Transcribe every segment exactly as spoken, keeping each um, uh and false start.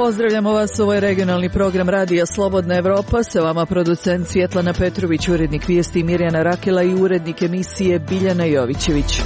Pozdravljamo vas, ovo je regionalni program Radija Slobodna Evropa, sa vama producent Svjetlana Petrović, urednik vijesti Mirjana Rakela i urednik emisije Biljana Jovićević.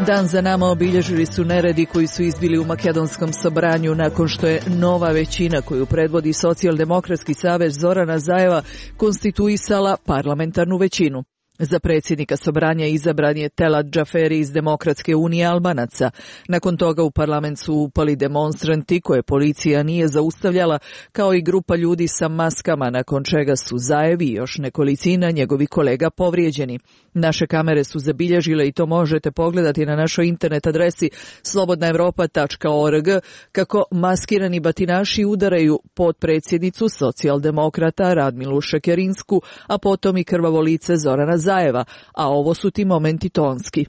Dan za nama obilježili su neredi koji su izbili u Makedonskom Sobranju nakon što je nova većina koju predvodi Socijaldemokratski savez Zorana Zajeva konstituisala parlamentarnu većinu. Za predsjednika Sobranja izabran je Telat Džaferi iz Demokratske unije Albanaca. Nakon toga u parlament su upali demonstranti koje policija nije zaustavljala, kao i grupa ljudi sa maskama, nakon čega su Zajev i još nekolicina njegovih kolega povrijeđeni. Naše kamere su zabilježile, i to možete pogledati na našoj internet adresi slobodna evropa tačka org, kako maskirani batinaši udaraju potpredsjednicu socijaldemokrata Radmilu Šekerinsku, a potom i krvavo lice Zorana Zajeva, a ovo su ti momenti tonski.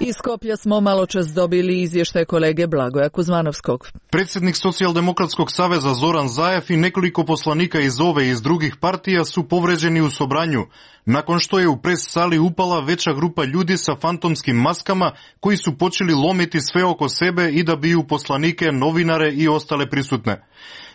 Iz Skoplja smo maločas dobili izvještaj kolege Blagoja Kuzmanovskog. Predsjednik Socijaldemokratskog saveza Zoran Zajev i nekoliko poslanika iz ove i iz drugih partija su povređeni u Sobranju, nakon što je u pres sali upala veća grupa ljudi sa fantomskim maskama koji su počeli lomiti sve oko sebe i da biju poslanike, novinare i ostale prisutne.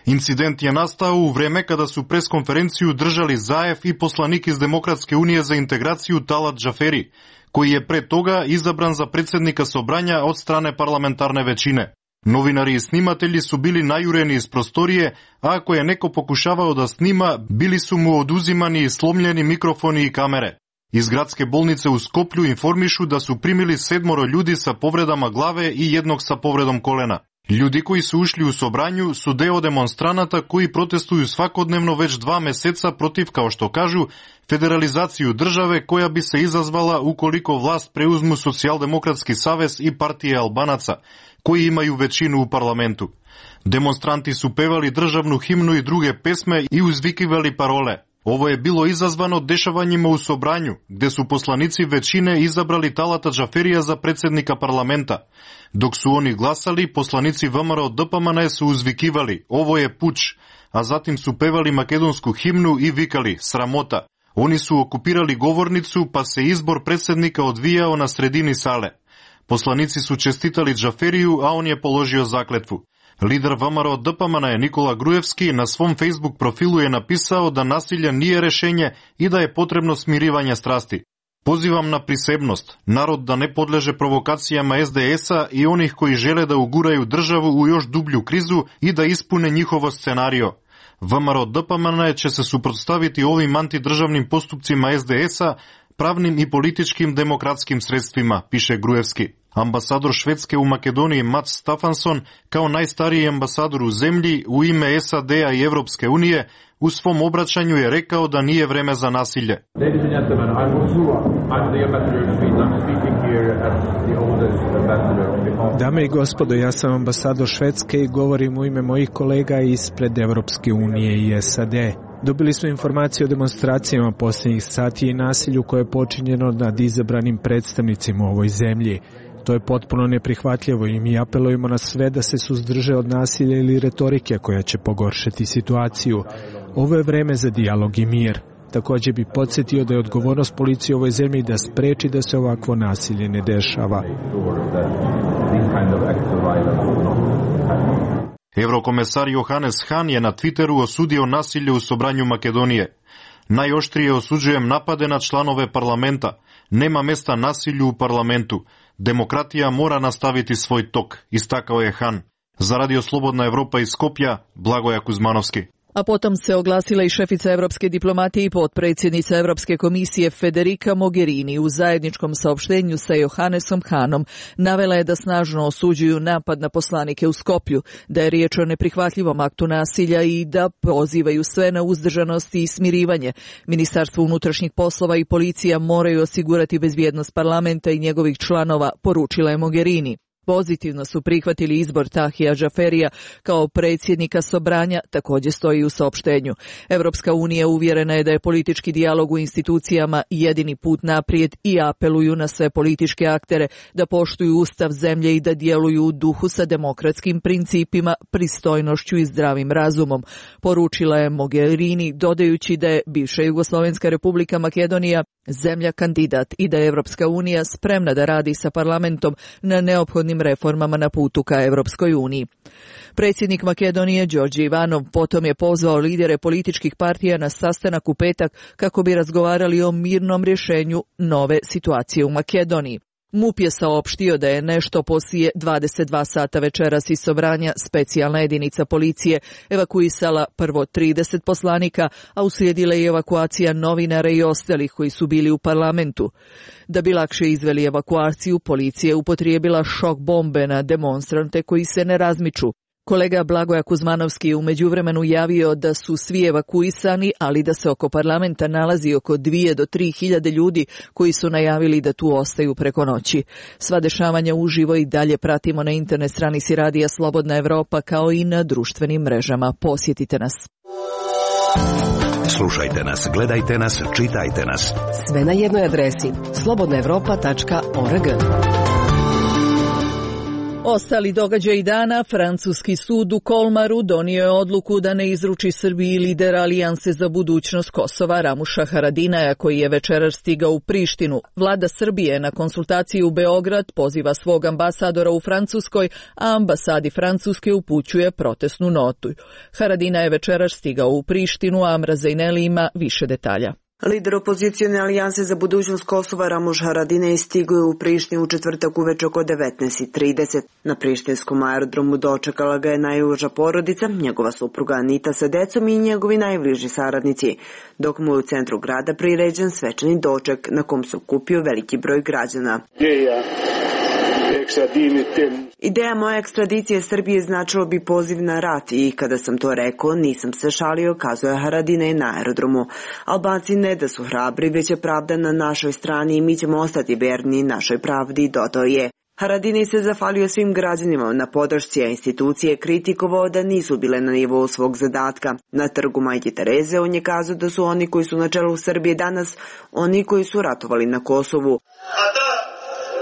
Incident je nastao u vreme kada su preskonferenciju držali Zajev i poslanik iz Demokratske unije za integraciju Talat Džaferi, koji je pre toga izabran za predsjednika Sobranja od strane parlamentarne većine. Novinari i snimatelji su bili najureni iz prostorije, a ako je neko pokušavao da snima, bili su mu oduzimani i slomljeni mikrofoni i kamere. Iz gradske bolnice u Skoplju informišu da su primili sedmoro ljudi sa povredama glave i jednog sa povredom kolena. Ljudi koji su ušli u Sobranju su deo demonstranata koji protestuju svakodnevno već dva meseca protiv, kao što kažu, federalizaciju države koja bi se izazvala ukoliko vlast preuzmu Socijaldemokratski savez i partije Albanaca, koji imaju većinu u parlamentu. Demonstranti su pevali državnu himnu i druge pesme i uzvikivali parole. Ovo je bilo izazvano dešavanjima u Sobranju, gde su poslanici većine izabrali Talata Džaferija za predsjednika parlamenta. Dok su oni glasali, poslanici V M R O D P M N su uzvikivali "Ovo je puč", a zatim su pevali makedonsku himnu i vikali "Sramota". Oni su okupirali govornicu, pa se izbor predsjednika odvijao na sredini sale. Poslanici su čestitali Džaferiju, a on je položio zakletvu. Lider V M R O D P M N Nikola Grujevski na svom Facebook profilu je napisao da nasilje nije rešenje i da je potrebno smirivanje strasti. Pozivam na prisebnost, narod da ne podleže provokacijama S D S-a i onih koji žele da uguraju državu u još dublju krizu i da ispune njihovo scenario. V M R O D P M N će se suprotstaviti ovim antidržavnim postupcima S D S-a pravnim i političkim demokratskim sredstvima, piše Grujevski. Ambasador Švedske u Makedoniji Mats Stafansson, kao najstariji ambasador u zemlji, u ime S A D-a i Evropske unije, u svom obraćanju je rekao da nije vreme za nasilje. Dame i gospodo, ja sam ambasador Švedske i govorim u ime mojih kolega ispred Evropske unije i S A D. Dobili smo informacije o demonstracijama posljednjih sati i nasilju koje je počinjeno nad izabranim predstavnicima u ovoj zemlji. To je potpuno neprihvatljivo i mi apelujemo na sve da se suzdrže od nasilja ili retorike koja će pogoršati situaciju. Ovo je vreme za dijalog i mir. Također bi podsjetio da je odgovornost policije u ovoj zemlji da spreči da se ovakvo nasilje ne dešava. Eurokomesar Johannes Hahn je na Twitteru osudio nasilje u Sobranju Makedonije. Najoštrije osuđujem napade na članove parlamenta. Nema mesta nasilju u parlamentu. Demokratija mora nastaviti svoj tok, istakao je Hahn. Za Radio Slobodna Evropa iz Skopja, Blagoja Kuzmanovski. A potom se oglasila i šefica evropske diplomatije i potpredsjednica Evropske komisije Federica Mogherini. U zajedničkom saopštenju sa Johannesom Hahnom navela je da snažno osuđuju napad na poslanike u Skoplju, da je riječ o neprihvatljivom aktu nasilja i da pozivaju sve na uzdržanost i smirivanje. Ministarstvo unutrašnjih poslova i policija moraju osigurati bezbjednost parlamenta i njegovih članova, poručila je Mogherini. Pozitivno su prihvatili izbor Tahija Džaferija kao predsjednika Sobranja, također stoji u saopštenju. Evropska unija uvjerena je da je politički dijalog u institucijama jedini put naprijed i apeluju na sve političke aktere da poštuju ustav zemlje i da djeluju u duhu sa demokratskim principima, pristojnošću i zdravim razumom, poručila je Mogherini, dodajući da je bivša Jugoslovenska republika Makedonija zemlja kandidat i da je Evropska unija spremna da radi sa parlamentom na neophodnim reformama na putu ka Evropskoj uniji. Predsjednik Makedonije Đorđe Ivanov potom je pozvao lidere političkih partija na sastanak u petak kako bi razgovarali o mirnom rješenju nove situacije u Makedoniji. MUP je saopštio da je nešto poslije dvadeset dva sata večeras iz Sobranja specijalna jedinica policije evakuisala prvo trideset poslanika, a uslijedila je evakuacija novinara i ostalih koji su bili u parlamentu. Da bi lakše izveli evakuaciju, policija je upotrijebila šok bombe na demonstrante koji se ne razmiču. Kolega Blagoja Kuzmanovski je u međuvremenu javio da su svi evakuisani, ali da se oko parlamenta nalazi oko dvije do tri hiljade ljudi koji su najavili da tu ostaju preko noći. Sva dešavanja uživo i dalje pratimo na internet stranici Radija Slobodna Evropa kao i na društvenim mrežama. Posjetite nas. Slušajte nas, gledajte nas, čitajte nas. Sve na jednoj adresi slobodna evropa tačka org. Ostali događaji dana, francuski sud u Kolmaru donio je odluku da ne izruči Srbiji lidera Alijanse za budućnost Kosova Ramuša Haradinaja, koji je večeras stigao u Prištinu. Vlada Srbije na konsultaciji u Beograd poziva svog ambasadora u Francuskoj, a ambasadi Francuske upućuje protestnu notu. Haradina je večeras stigao u Prištinu, a Mrazejneli ima više detalja. Lider opozicione alijanse za budućnost Kosova Ramuš Haradinaj stigao je u Prištinu u četvrtak uveče oko devetnaest trideset. Na prištinskom aerodromu dočekala ga je najuža porodica, njegova supruga Anita sa decom i njegovi najbliži saradnici, dok mu je u centru grada priređen svečani doček na kom se okupio veliki broj građana. Ideja moje ekstradicije Srbije značilo bi poziv na rat i kada sam to rekao nisam se šalio, kazuje Haradinaj na aerodromu. Albanci ne da su hrabri, već je pravda na našoj strani i mi ćemo ostati verni našoj pravdi, dodao je. Haradinaj se zahvalio svim građanima na podršci, a institucije kritikovao da nisu bile na nivou svog zadatka. Na trgu Majke Tereze on je kazao da su oni koji su na čelu Srbije danas oni koji su ratovali na Kosovu. A da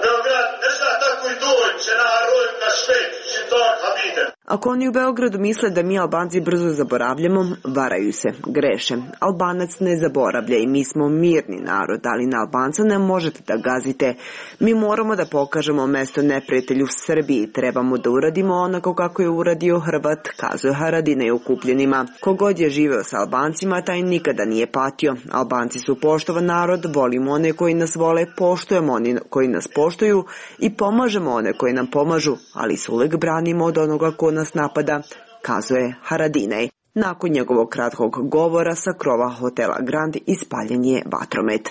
Beograd ne zna tako i doći na roj na švet, će to habite. Ako oni u Beogradu misle da mi Albanci brzo zaboravljamo, varaju se, greše. Albanac ne zaboravlja i mi smo mirni narod, ali na Albanca ne možete da gazite. Mi moramo da pokažemo mesto neprijatelju Srbiji, trebamo da uradimo onako kako je uradio Hrvat, kazuje Haradinaj okupljenima. Kogod je živeo sa Albancima, taj nikada nije patio. Albanci su poštovan narod, volimo one koji nas vole, poštujemo one koji nas poštuju i pomažemo one koji nam pomažu, ali se uvek branimo od onoga ko nas napada, kazuje Haradinaj. Nakon njegovog kratkog govora sa krova hotela Grand ispaljen je vatromet.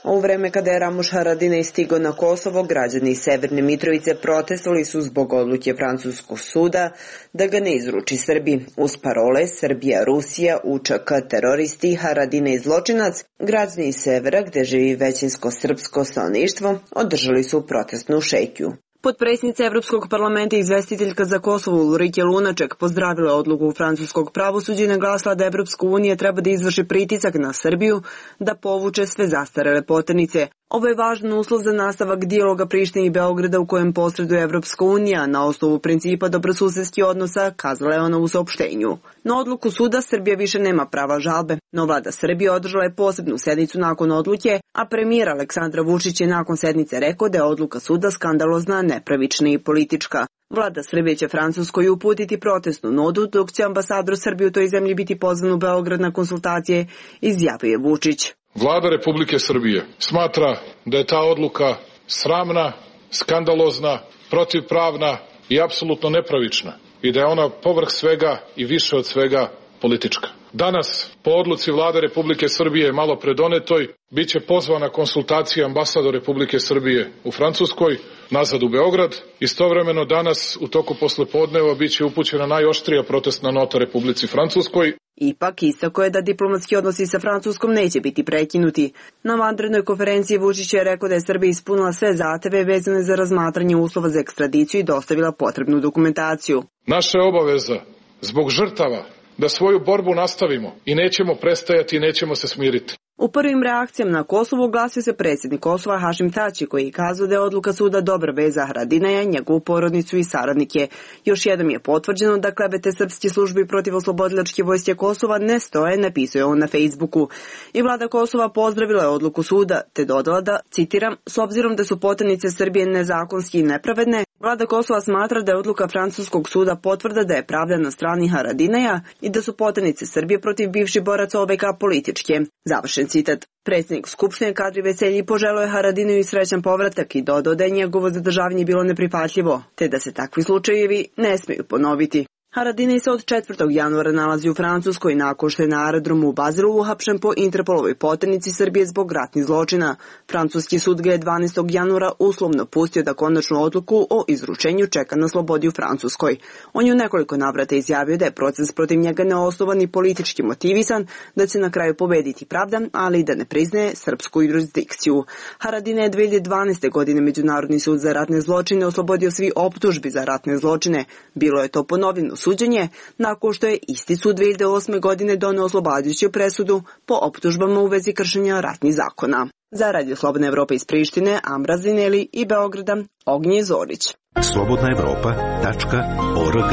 U vreme kada je Ramuš Haradinaj stigao na Kosovo, građani Severne Mitrovice protestovali su zbog odluke francuskog suda da ga ne izruči Srbiji. Uz parole Srbija, Rusija, U Č K, teroristi, Haradinaj zločinac, građani Severa, gde živi većinsko srpsko stanovništvo, održali su protestnu šetnju. Potpredsjednica Evropskog parlamenta i izvestiteljka za Kosovo Ulrike Lunaček pozdravila odluku francuskog pravosuđa i naglasila da Evropska unija treba da izvrši pritisak na Srbiju da povuče sve zastarele poternice. Ovo je važan uslov za nastavak dijaloga Prištine i Beograda u kojem posreduje Evropska unija na osnovu principa dobrosusedskih odnosa, kazala je ona u saopštenju. Na odluku suda Srbija više nema prava žalbe, no vlada Srbije održala je posebnu sednicu nakon odluke, a premijer Aleksandar Vučić je nakon sednice rekao da je odluka suda skandalozna, nepravična i politička. Vlada Srbije će Francuskoj uputiti protestnu notu, dok će ambasador Srbije u toj zemlji biti pozvan u Beograd na konsultacije, izjavio je Vučić. Vlada Republike Srbije smatra da je ta odluka sramna, skandalozna, protivpravna i apsolutno nepravična i da je ona povrh svega i više od svega politička. Danas, po odluci Vlade Republike Srbije malo predonetoj, bit će pozvana konsultacija ambasador Republike Srbije u Francuskoj, nazad u Beograd. Istovremeno danas, u toku poslepodneva, bit će upućena najoštrija protestna nota Republici Francuskoj. Ipak, istako je da diplomatski odnosi sa Francuskom neće biti prekinuti. Na vanrednoj konferenciji Vučić je rekao da je Srbija ispunila sve zahteve vezane za razmatranje uslova za ekstradiciju i dostavila potrebnu dokumentaciju. Naša je obaveza, zbog žrtava, da svoju borbu nastavimo i nećemo prestajati i nećemo se smiriti. U prvim reakcijama na Kosovo oglasio se predsjednik Kosova Hašim Tači, koji je kazao da je odluka suda dobra vez za Haradinaja, njegovu porodicu i saradnike. Još jednom je potvrđeno da klevete srpske službi protiv oslobodilačke vojske Kosova ne stoje, napisao je on na Facebooku. I vlada Kosova pozdravila je odluku suda, te dodala da, citiram, s obzirom da su poternice Srbije nezakonski i nepravedne, vlada Kosova smatra da je odluka francuskog suda potvrda da je pravda na strani Haradinaja i da su poternice Srbije protiv bivših boraca O V K političke. Završen citat. Predsjednik Skupštine Kadri Veselji poželio je Haradinaju i srećan povratak i dodao da je njegovo zadržavanje bilo neprihvatljivo, te da se takvi slučajevi ne smiju ponoviti. Haradinaj se od četvrtog januara nalazi u Francuskoj nakon što je na aerodromu u Bazilu uhapšen po Interpolovoj poternici Srbije zbog ratnih zločina. Francuski sud ga je dvanaestog januara uslovno pustio da konačnu odluku o izručenju čeka na slobodi u Francuskoj. On je u nekoliko navrata izjavio da je proces protiv njega neosnovan i politički motivisan, da će na kraju pobediti pravda, ali i da ne priznaje srpsku jurisdikciju. Haradinaj je dve hiljade dvanaeste. godine Međunarodni sud za ratne zločine oslobodio svi optužbi za ratne zločine. Bilo je to ponovljeno suđenje nakon što je isti sud dve hiljade osme. godine doneo oslobađajuću presudu po optužbama u vezi kršenja ratnih zakona. Za Radio Slobodna Evropa iz Prištine, Amra Zineli i Beograda, Ognje Zorić. slobodna evropa tačka org.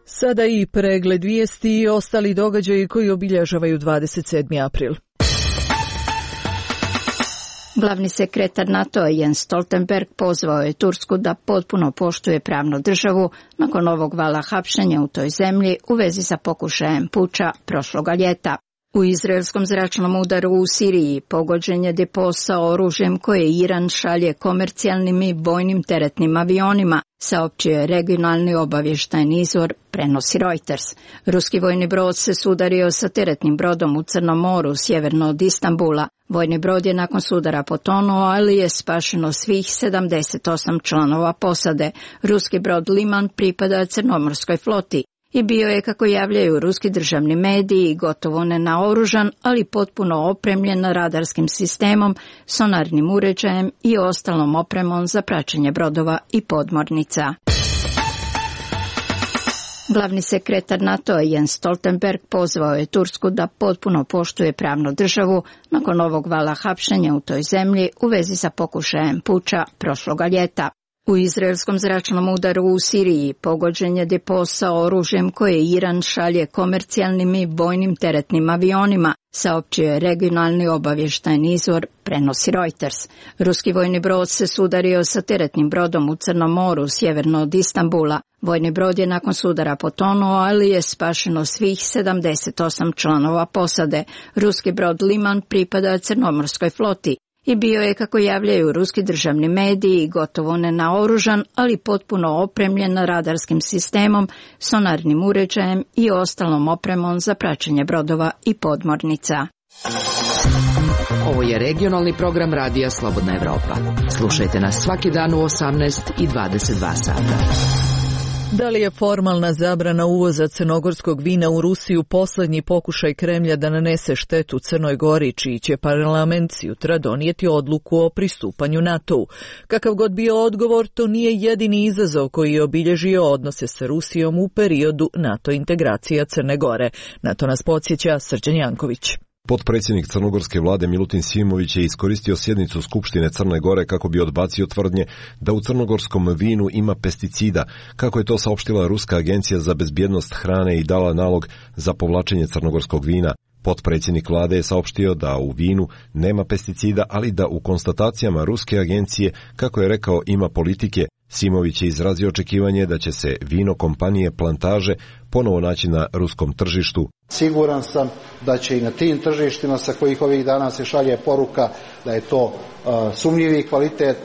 Sada i pregled vijesti i ostali događaji koji obilježavaju dvadeset sedmi april. Glavni sekretar NATO-a Jens Stoltenberg pozvao je Tursku da potpuno poštuje pravnu državu nakon ovog vala hapšenja u toj zemlji u vezi sa pokušajem puča prošloga ljeta. U izraelskom zračnom udaru u Siriji pogođen je depo sa oružjem koje Iran šalje komercijalnim i vojnim teretnim avionima, saopćio je regionalni obavještajni izvor, prenosi Reuters. Ruski vojni brod se sudario sa teretnim brodom u Crnom moru, sjeverno od Istanbula. Vojni brod je nakon sudara potonuo, ali je spašeno svih sedamdeset osam članova posade. Ruski brod Liman pripada crnomorskoj floti i bio je, kako javljaju ruski državni mediji, gotovo nenaoružan, ali potpuno opremljen radarskim sistemom, sonarnim uređajem i ostalom opremom za praćenje brodova i podmornica. Glavni sekretar NATO-a Jens Stoltenberg pozvao je Tursku da potpuno poštuje pravnu državu nakon ovog vala hapšenja u toj zemlji u vezi sa pokušajem puča prošloga ljeta. U izraelskom zračnom udaru u Siriji pogođen je depo sa oružjem koje Iran šalje komercijalnim i vojnim teretnim avionima, saopćio je regionalni obavještajni izvor, prenosi Reuters. Ruski vojni brod se sudario sa teretnim brodom u Crnom moru, sjeverno od Istanbula. Vojni brod je nakon sudara potonuo, ali je spašeno svih sedamdeset osam članova posade. Ruski brod Liman pripada crnomorskoj floti i bio je, kako javljaju ruski državni mediji, gotovo nenaoružan, ali potpuno opremljen radarskim sistemom, sonarnim uređajem i ostalom opremom za praćenje brodova i podmornica. Ovo je regionalni program Radija Slobodna Evropa. Slušajte nas svaki dan u osamnaest i dvadeset dva sata. Da li je formalna zabrana uvoza crnogorskog vina u Rusiju posljednji pokušaj Kremlja da nanese štetu Crnoj Gori, čiji će parlament sutra donijeti odluku o pristupanju NATO-u? Kakav god bio odgovor, to nije jedini izazov koji je obilježio odnose sa Rusijom u periodu NATO integracija Crne Gore. Na to nas podsjeća Srđan Janković. Potpredsjednik crnogorske vlade Milutin Simović je iskoristio sjednicu Skupštine Crne Gore kako bi odbacio tvrdnje da u crnogorskom vinu ima pesticida, kako je to saopštila Ruska agencija za bezbjednost hrane i dala nalog za povlačenje crnogorskog vina. Potpredsjednik vlade je saopštio da u vinu nema pesticida, ali da u konstatacijama Ruske agencije, kako je rekao, ima politike. Simović je izrazio očekivanje da će se vino kompanije Plantaže ponovo naći na ruskom tržištu. Siguran sam da će i na tim tržištima sa kojih ovih dana se šalje poruka da je to uh, sumnjivi kvalitet,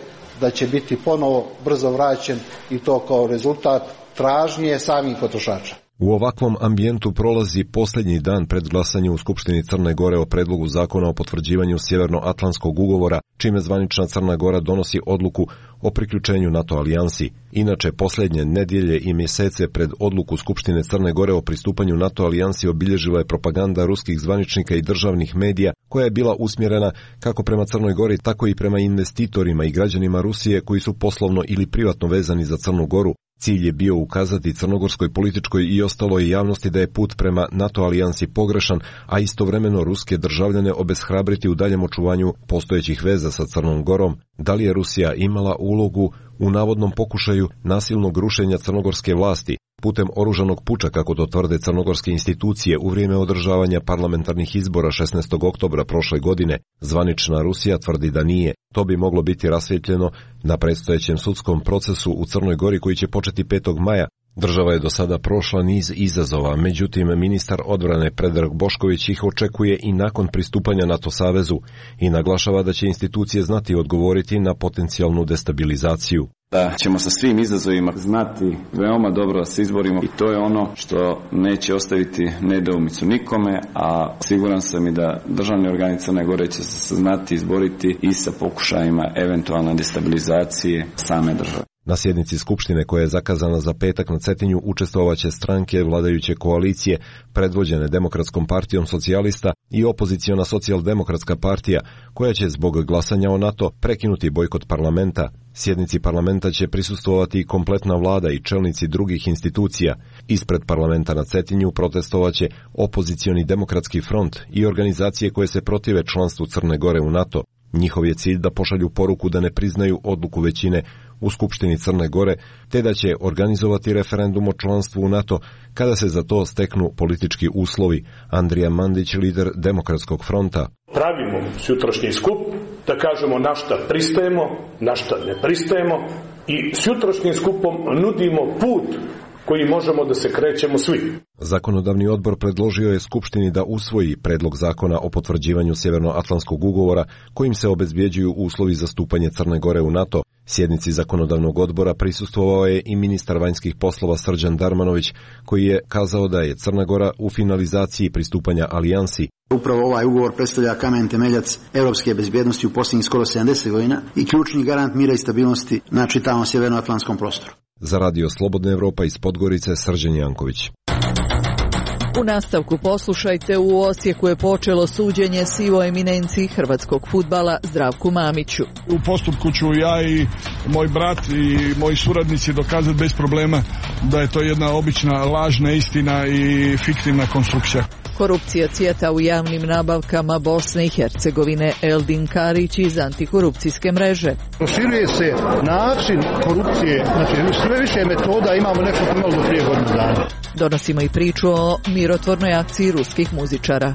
da će biti ponovo brzo vraćen i to kao rezultat tražnje samih potrošača. U ovakvom ambijentu prolazi posljednji dan pred glasanjem u Skupštini Crne Gore o predlogu zakona o potvrđivanju Sjevernoatlantskog ugovora, čime zvanična Crna Gora donosi odluku o priključenju NATO alijansi. Inače, posljednje nedjelje i mjesece pred odluku Skupštine Crne Gore o pristupanju NATO alijansi obilježila je propaganda ruskih zvaničnika i državnih medija, koja je bila usmjerena kako prema Crnoj Gori, tako i prema investitorima i građanima Rusije koji su poslovno ili privatno vezani za Crnu Goru. Cilj je bio ukazati crnogorskoj političkoj i ostaloj javnosti da je put prema NATO alijansi pogrešan, a istovremeno ruske državljane obeshrabriti u daljem očuvanju postojećih veza sa Crnom Gorom. Da li je Rusija imala ulogu u navodnom pokušaju nasilnog rušenja crnogorske vlasti putem oružanog puča, kako to tvrde crnogorske institucije, u vrijeme održavanja parlamentarnih izbora šesnaestog oktobra prošle godine? Zvanična Rusija tvrdi da nije. To bi moglo biti rasvjetljeno na predstojećem sudskom procesu u Crnoj Gori koji će početi petog maja. Država je do sada prošla niz izazova, međutim ministar odbrane Predrag Bošković ih očekuje i nakon pristupanja NATO savezu i naglašava da će institucije znati odgovoriti na potencijalnu destabilizaciju. Da ćemo sa svim izazovima znati veoma dobro da se izborimo i to je ono što neće ostaviti nedoumicu nikome, a siguran sam i da državni organi Crne Gore će se znati izboriti i sa pokušajima eventualne destabilizacije same države. Na sjednici Skupštine koja je zakazana za petak na Cetinju učestvovaće stranke vladajuće koalicije predvođene Demokratskom partijom socijalista i opoziciona socijaldemokratska partija, koja će zbog glasanja o NATO prekinuti bojkot parlamenta. Sjednici parlamenta će prisustvovati i kompletna vlada i čelnici drugih institucija. Ispred parlamenta na Cetinju protestovaće opozicioni demokratski front i organizacije koje se protive članstvu Crne Gore u NATO. Njihov je cilj da pošalju poruku da ne priznaju odluku većine u Skupštini Crne Gore, te da će organizovati referendum o članstvu u NATO kada se za to steknu politički uslovi. Andrija Mandić, lider Demokratskog fronta. Pravimo sutrašnji skup da kažemo na šta pristajemo, na šta ne pristajemo i s jutrošnjim skupom nudimo put koji možemo da se krećemo svi. Zakonodavni odbor predložio je Skupštini da usvoji predlog zakona o potvrđivanju Sjevernoatlantskog ugovora kojim se obezbjeđuju uslovi za stupanje Crne Gore u NATO. Sjednici zakonodavnog odbora prisustvovao je i ministar vanjskih poslova Srđan Darmanović, koji je kazao da je Crna Gora u finalizaciji pristupanja alijansi. Upravo ovaj ugovor predstavlja kamen temeljac europske bezbjednosti u posljednjih skoro sedamdeset godina i ključni garant mira i stabilnosti na čitavom sjevernoatlantskom prostoru. Za Radio Slobodna Evropa iz Podgorice, Srđan Janković. U nastavku poslušajte, u Osijeku je počelo suđenje sivoj eminenciji hrvatskog fudbala Zdravku Mamiću. U postupku ću ja i moj brat i moji suradnici dokazati bez problema da je to jedna obična lažna istina i fiktivna konstrukcija. Korupcija cvjeta u javnim nabavkama Bosne i Hercegovine. Eldin Karić iz antikorupcijske mreže. Proširuje se način korupcije, znači sve više metoda imamo nešto što imamo do prije godinu dana. Donosimo i priču o mirotvornoj akciji ruskih muzičara.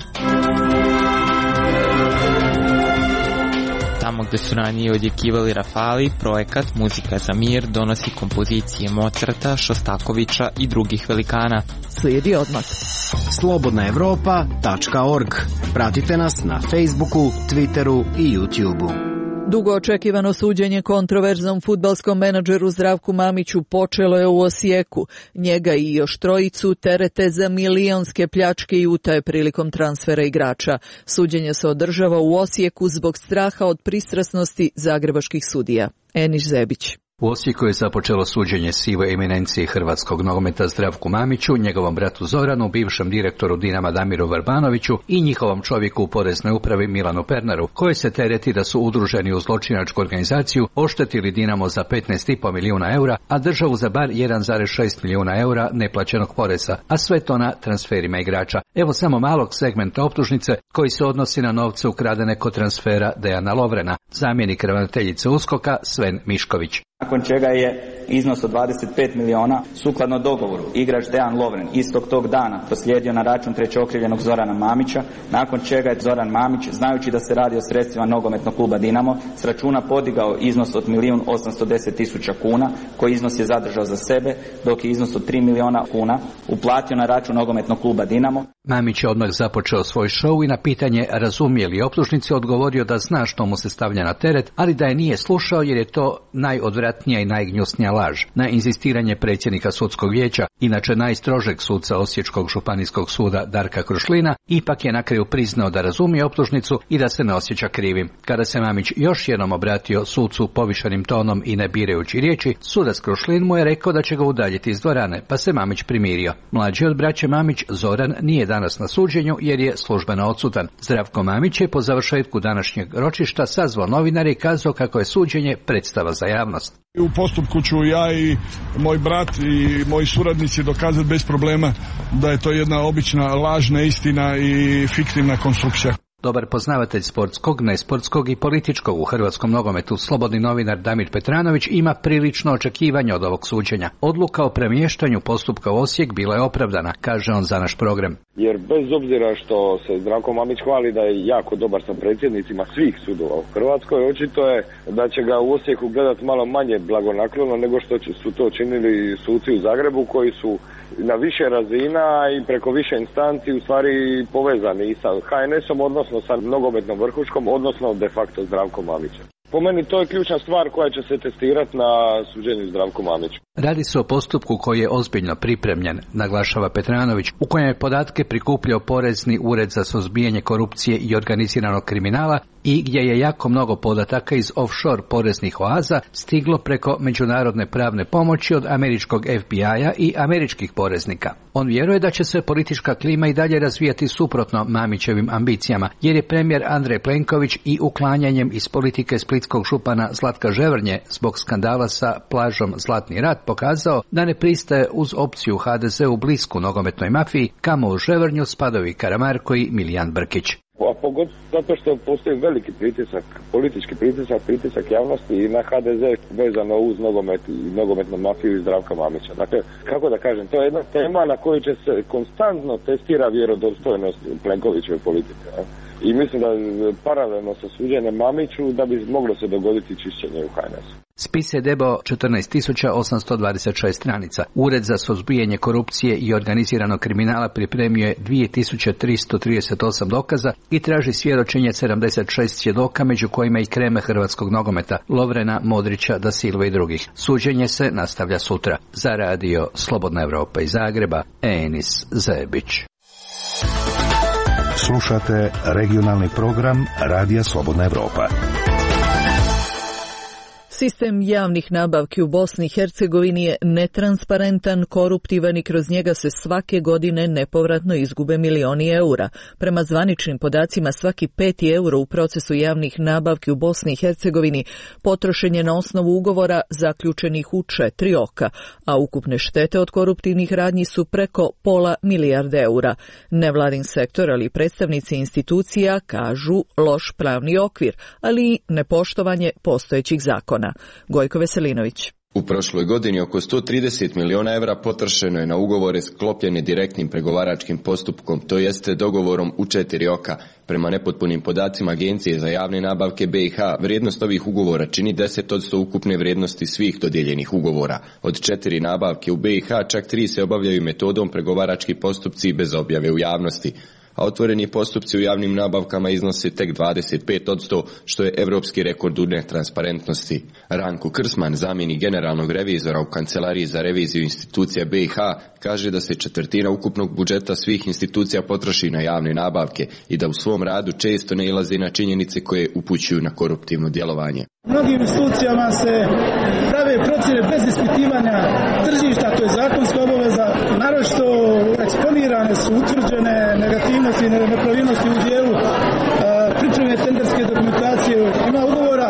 Tamo gdje su ranije odjekivali Rafali, projekat Muzika za mir donosi kompozicije Mozarta, Šostakovića i drugih velikana. Slijedi odmah. slobodna evropa tačka org. Pratite nas na Facebooku, Twitteru i YouTubeu. Dugo očekivano suđenje kontroverznom fudbalskom menadžeru Zdravku Mamiću počelo je u Osijeku. Njega i još trojicu terete za milionske pljačke i utaje prilikom transfera igrača. Suđenje se održava u Osijeku zbog straha od pristrasnosti zagrebačkih sudija. Eniš Zebić. U Osijeku je započelo suđenje sivoj eminenciji hrvatskog nogometa Zdravku Mamiću, njegovom bratu Zoranu, bivšem direktoru Dinama Damiru Vrbanoviću i njihovom čovjeku u poreznoj upravi Milanu Pernaru, koji se tereti da su udruženi u zločinačku organizaciju, oštetili Dinamo za petnaest i po milijuna eura, a državu za bar jedan zarez šest milijuna eura neplaćenog poreza, a sve to na transferima igrača. Evo samo malog segmenta optužnice koji se odnosi na novce ukradene kod transfera Dejana Lovrena, zamjenik ravnateljice USKOK-a Sven Mišković. Nakon čega je iznos od dvadeset pet milijuna sukladno dogovoru igrač Dejan Lovren istog tog dana proslijedio na račun trećeokrivljenog Zorana Mamića, nakon čega je Zoran Mamić, znajući da se radi o sredstvima nogometnog kluba Dinamo, s računa podigao iznos od milijun osamsto deset tisuća kuna, koji iznos je zadržao za sebe, dok je iznos od tri milijuna kuna uplatio na račun nogometnog kluba Dinamo. Mamić je odmah započeo svoj šou i na pitanje razumije li optužnici odgovorio da zna što mu se stavlja na teret, ali da je nije slušao jer je to najodvratnije najodvratnija i najgnjusnija laž. Na inzistiranje predsjednika sudskog vijeća, inače najstrožeg suca Osječkog županijskog suda Darka Krušlina, ipak je na kraju priznao da razumije optužnicu i da se ne osjeća krivim. Kada se Mamić još jednom obratio sucu povišenim tonom i ne birajući riječi, sudac Krušlin mu je rekao da će ga udaljiti iz dvorane, pa se Mamić primirio. Mlađi od braće Mamić, Zoran, nije danas na suđenju jer je službeno odsutan. Zdravko Mamić je po završetku današnjeg ročišta sazvao novinare i kazao kako je suđenje predstava za javnost. U postupku ću ja i moj brat i moji suradnici dokazati bez problema da je to jedna obična laž, neistina i fiktivna konstrukcija. Dobar poznavatelj sportskog, nesportskog i političkog u hrvatskom nogometu, slobodni novinar Damir Petranović ima prilično očekivanje od ovog suđenja. Odluka o premještanju postupka u Osijek bila je opravdana, kaže on za naš program. Jer bez obzira što se Zdravko Mamić hvali da je jako dobar sa predsjednicima svih sudova u Hrvatskoj, očito je da će ga u Osijeku gledati malo manje blagonaklono nego što su to činili suci u Zagrebu koji su na više razina i preko više instanci u stvari povezani i sa ha en esom, odnosno sa nogometnom vrhuškom, odnosno de facto Zdravkom Mamićem. Po meni to je ključna stvar koja će se testirati na suđenju Zdravku Mamiću. Radi se o postupku koji je ozbiljno pripremljen, naglašava Petranović, u kojem je podatke prikupljao Porezni ured za suzbijanje korupcije i organiziranog kriminala i gdje je jako mnogo podataka iz offshore poreznih oaza stiglo preko međunarodne pravne pomoći od američkog F B I-a i američkih poreznika. On vjeruje da će se politička klima i dalje razvijati suprotno Mamićevim ambicijama, jer je premijer Andrej Plenković i uklanjanjem iz politike splitskog župana Zlatka Ževrnje zbog skandala sa plažom Zlatni rat pokazao da ne pristaje uz opciju ha de ze u blisku nogometnoj mafiji, kamo u Ževrnju spadaju i Karamarko i Milijan Brkić. A pogotovo zato što postoji veliki pritisak, politički pritisak, pritisak javnosti i na ha de ze vezano uz nogomet i nogometnu mafiju i Zdravka Mamića. Dakle, kako da kažem, to je jedna tema na kojoj će se konstantno testira vjerodostojnost Plenkovićeve politike. Ja? I mislim da paralelno sa suđenjem Mamiću da bi moglo se dogoditi čišćenje u ha en esu. Spis je debao četrnaest tisuća osamsto dvadeset šest stranica. Ured za suzbijanje korupcije i organiziranog kriminala pripremio je dvije tisuće tristo trideset osam dokaza i traži svjedočenje sedamdeset šest svjedoka, među kojima i kreme hrvatskog nogometa, Lovrena, Modrića, Da Silva i drugih. Suđenje se nastavlja sutra. Za radio Slobodna Evropa iz Zagreba, Enis Zebić. Slušate regionalni program Radija Slobodna Evropa. Sistem javnih nabavki u Bosni i Hercegovini je netransparentan, koruptivan i kroz njega se svake godine nepovratno izgube milioni eura. Prema zvaničnim podacima, svaki peti euro u procesu javnih nabavki u Bosni i Hercegovini potrošen je na osnovu ugovora zaključenih u četiri oka, a ukupne štete od koruptivnih radnji su preko pola milijarde eura. Nevladin sektor, ali i predstavnici institucija kažu loš pravni okvir, ali i nepoštovanje postojećih zakona. Gojko Veselinović. U prošloj godini oko sto trideset miliona evra potrošeno je na ugovore sklopljene direktnim pregovaračkim postupkom, to jeste dogovorom u četiri oka. Prema nepotpunim podacima Agencije za javne nabavke be i ha, vrijednost ovih ugovora čini deset posto ukupne vrijednosti svih dodijeljenih ugovora. Od četiri nabavke u be i ha, čak tri se obavljaju metodom pregovarački postupci bez objave u javnosti. A otvoreni postupci u javnim nabavkama iznose tek dvadeset pet posto, što je evropski rekord u netransparentnosti. Ranko Krsman, zamjenik generalnog revizora u Kancelariji za reviziju institucija be i ha, kaže da se četvrtina ukupnog budžeta svih institucija potroši na javne nabavke i da u svom radu često ne ilazi na činjenice koje upućuju na koruptivno djelovanje. Mnogim institucijama se prave procjene bez ispitivanja tržišta, to je zakonska obaveza, naročito eksponirane su utvrđene negativnosti i nepravilnosti u dijelu pripreme tenderske dokumentacije. Ima ugovora,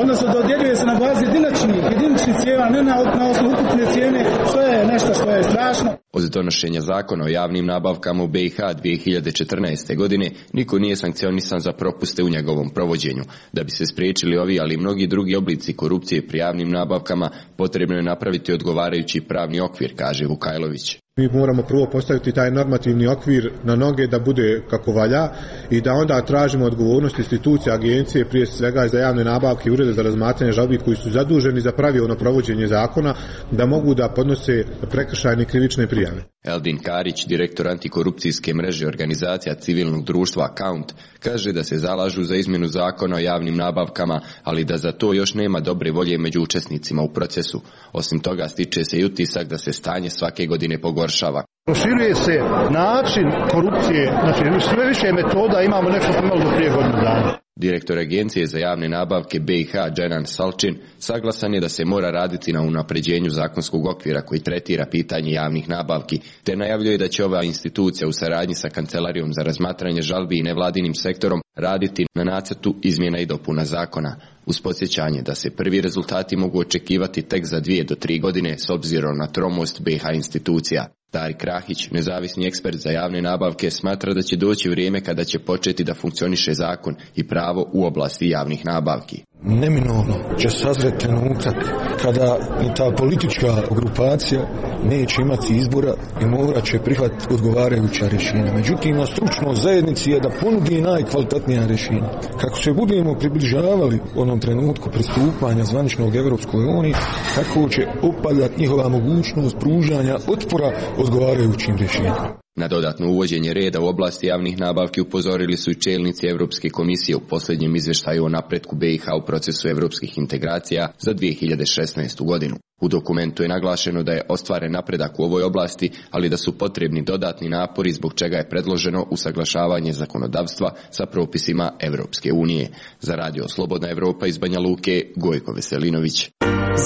odnosno dodjeljuje se na bazi jediničnih, jediničnih cijena, ne na, na osnovu ukupne cijene, što je nešto što je strašno. Od donošenja zakona o javnim nabavkama u be i ha dvije hiljade četrnaeste. godine niko nije sankcionisan za propuste u njegovom provođenju. Da bi se spriječili ovi, ali i mnogi drugi oblici korupcije pri javnim nabavkama, potrebno je napraviti odgovarajući pravni okvir, kaže Vukajlović. Mi moramo prvo postaviti taj normativni okvir na noge da bude kako valja i da onda tražimo odgovornost institucija, agencije, prije svega za javne nabavke i urede za razmatranje žalbi koji su zaduženi za pravilno provođenje zakona, da mogu da podnose prekršajne krivične prijave. Eldin Karić, direktor antikorupcijske mreže organizacija civilnog društva Account, kaže da se zalažu za izmjenu zakona o javnim nabavkama, ali da za to još nema dobre volje među učesnicima u procesu. Osim toga, stiče se i utisak da se stanje svake godine pogoršava. Proširuje se način korupcije, znači sve više metoda, imamo nešto što imali do prije godinu dana. Direktor Agencije za javne nabavke B i H Dženan Salčin saglasan je da se mora raditi na unapređenju zakonskog okvira koji tretira pitanje javnih nabavki, te najavljuje da će ova institucija u saradnji sa Kancelarijom za razmatranje žalbi i nevladinim sektorom raditi na nacrtu izmjena i dopuna zakona, uz podsjećanje da se prvi rezultati mogu očekivati tek za dvije do tri godine s obzirom na tromost B i H institucija. Tarik Rahić, nezavisni ekspert za javne nabavke, smatra da će doći vrijeme kada će početi da funkcioniše zakon i pravo u oblasti javnih nabavki. Neminovno će sazreti trenutak kada i ta politička grupacija neće imati izbora i morat će prihvatiti odgovarajuća rješenja. Međutim, na stručnoj zajednici je da ponudi najkvalitetnija rješenja. Kako se budemo približavali onom trenutku pristupanja zvaničnog Evropskoj uniji, tako će opadati njihova mogućnost pružanja otpora odgovarajućim rješenjima. Na dodatno uvođenje reda u oblasti javnih nabavki upozorili su i čelnici Europske komisije u posljednjem izvještaju o napretku B i H u procesu europskih integracija za dvije hiljade šesnaestu godinu. U dokumentu je naglašeno da je ostvaren napredak u ovoj oblasti, ali da su potrebni dodatni napori zbog čega je predloženo usaglašavanje zakonodavstva sa propisima Europske unije. Za radio Slobodna Evropa iz Banja Luke, Gojko Veselinović.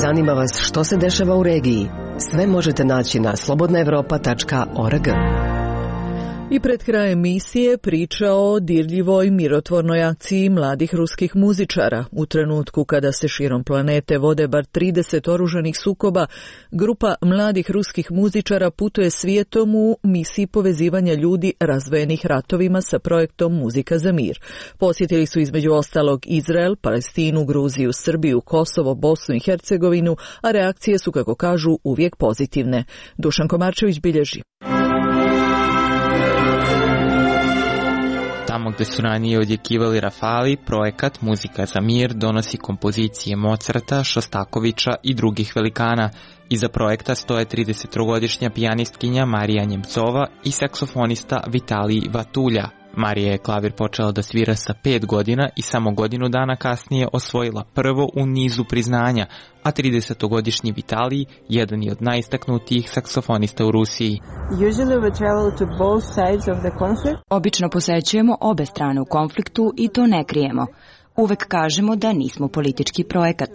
Zanima vas što se dešava u regiji? Sve možete naći na slobodna evropa tačka org. I pred krajem emisije priča o dirljivoj mirotvornoj akciji mladih ruskih muzičara. U trenutku kada se širom planete vode bar trideset oružanih sukoba, grupa mladih ruskih muzičara putuje svijetom u misiji povezivanja ljudi razvojenih ratovima sa projektom Muzika za mir. Posjetili su između ostalog Izrael, Palestinu, Gruziju, Srbiju, Kosovo, Bosnu i Hercegovinu, a reakcije su, kako kažu, uvijek pozitivne. Dušan Komarčević bilježi. Tamo gde su ranije odjekivali rafali, projekat Muzika za mir donosi kompozicije Mozarta, Šostakovića i drugih velikana. Iza projekta stoje tridesettrogodišnja pijanistkinja Marija Njemcova i saksofonista Vitalij Vatulja. Marija je klavir počela da svira sa pet godina i samo godinu dana kasnije osvojila prvo u nizu priznanja, a tridesetogodišnji Vitalij jedan je od najistaknutijih saksofonista u Rusiji. Obično posećujemo obe strane u konfliktu i to ne krijemo. Uvek kažemo da nismo politički projekat.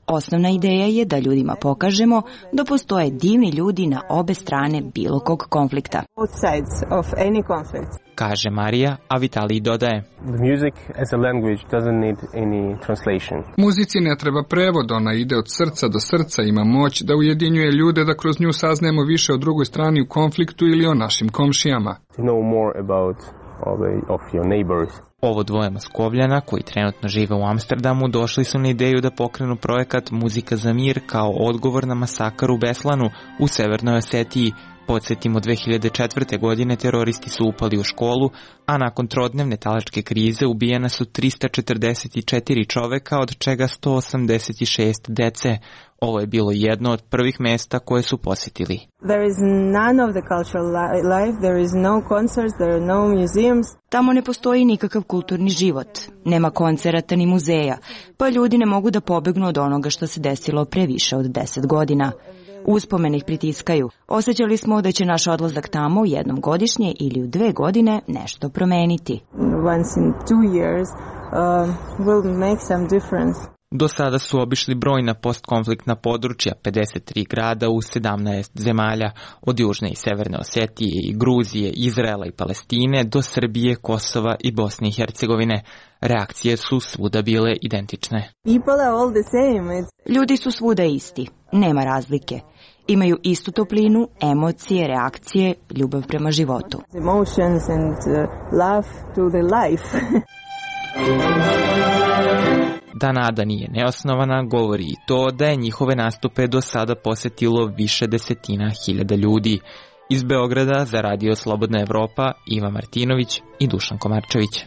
Osnovna ideja je da ljudima pokažemo da postoje divni ljudi na obe strane bilo kog konflikta. Kaže Marija, a Vitalij dodaje. Muzici ne treba prevod, ona ide od srca do srca, ima moć da ujedinjuje ljude da kroz nju saznajemo više o drugoj strani u konfliktu ili o našim komšijama. Ovo dvoje Moskovljana, koji trenutno žive u Amsterdamu, došli su na ideju da pokrenu projekat Muzika za mir kao odgovor na masakar u Beslanu u Severnoj Osetiji. Podsjetimo, dve hiljade četvrte. godine teroristi su upali u školu, a nakon trodnevne talačke krize ubijena su trista četrdeset četiri čoveka, od čega sto osamdeset šest dece. Ovo je bilo jedno od prvih mesta koje su posjetili. Tamo ne postoji nikakav kulturni život, nema koncerata ni muzeja, pa ljudi ne mogu da pobegnu od onoga što se desilo pre više od deset godina. Uspomene ih pritiskaju. Osjećali smo da će naš odlazak tamo jednom godišnje ili u dve godine nešto promeniti. Do sada su obišli brojna postkonfliktna područja, pedeset tri grada u sedamnaest zemalja, od Južne i Severne Osetije i Gruzije, Izraela i Palestine do Srbije, Kosova i Bosne i Hercegovine. Reakcije su svuda bile identične. Ljudi su svuda isti, nema razlike. Imaju istu toplinu, emocije, reakcije, ljubav prema životu. Da nada nije neosnovana, govori i to da je njihove nastupe do sada posjetilo više desetina hiljada ljudi. Iz Beograda za radio Slobodna Evropa, Iva Martinović i Dušan Komarčević.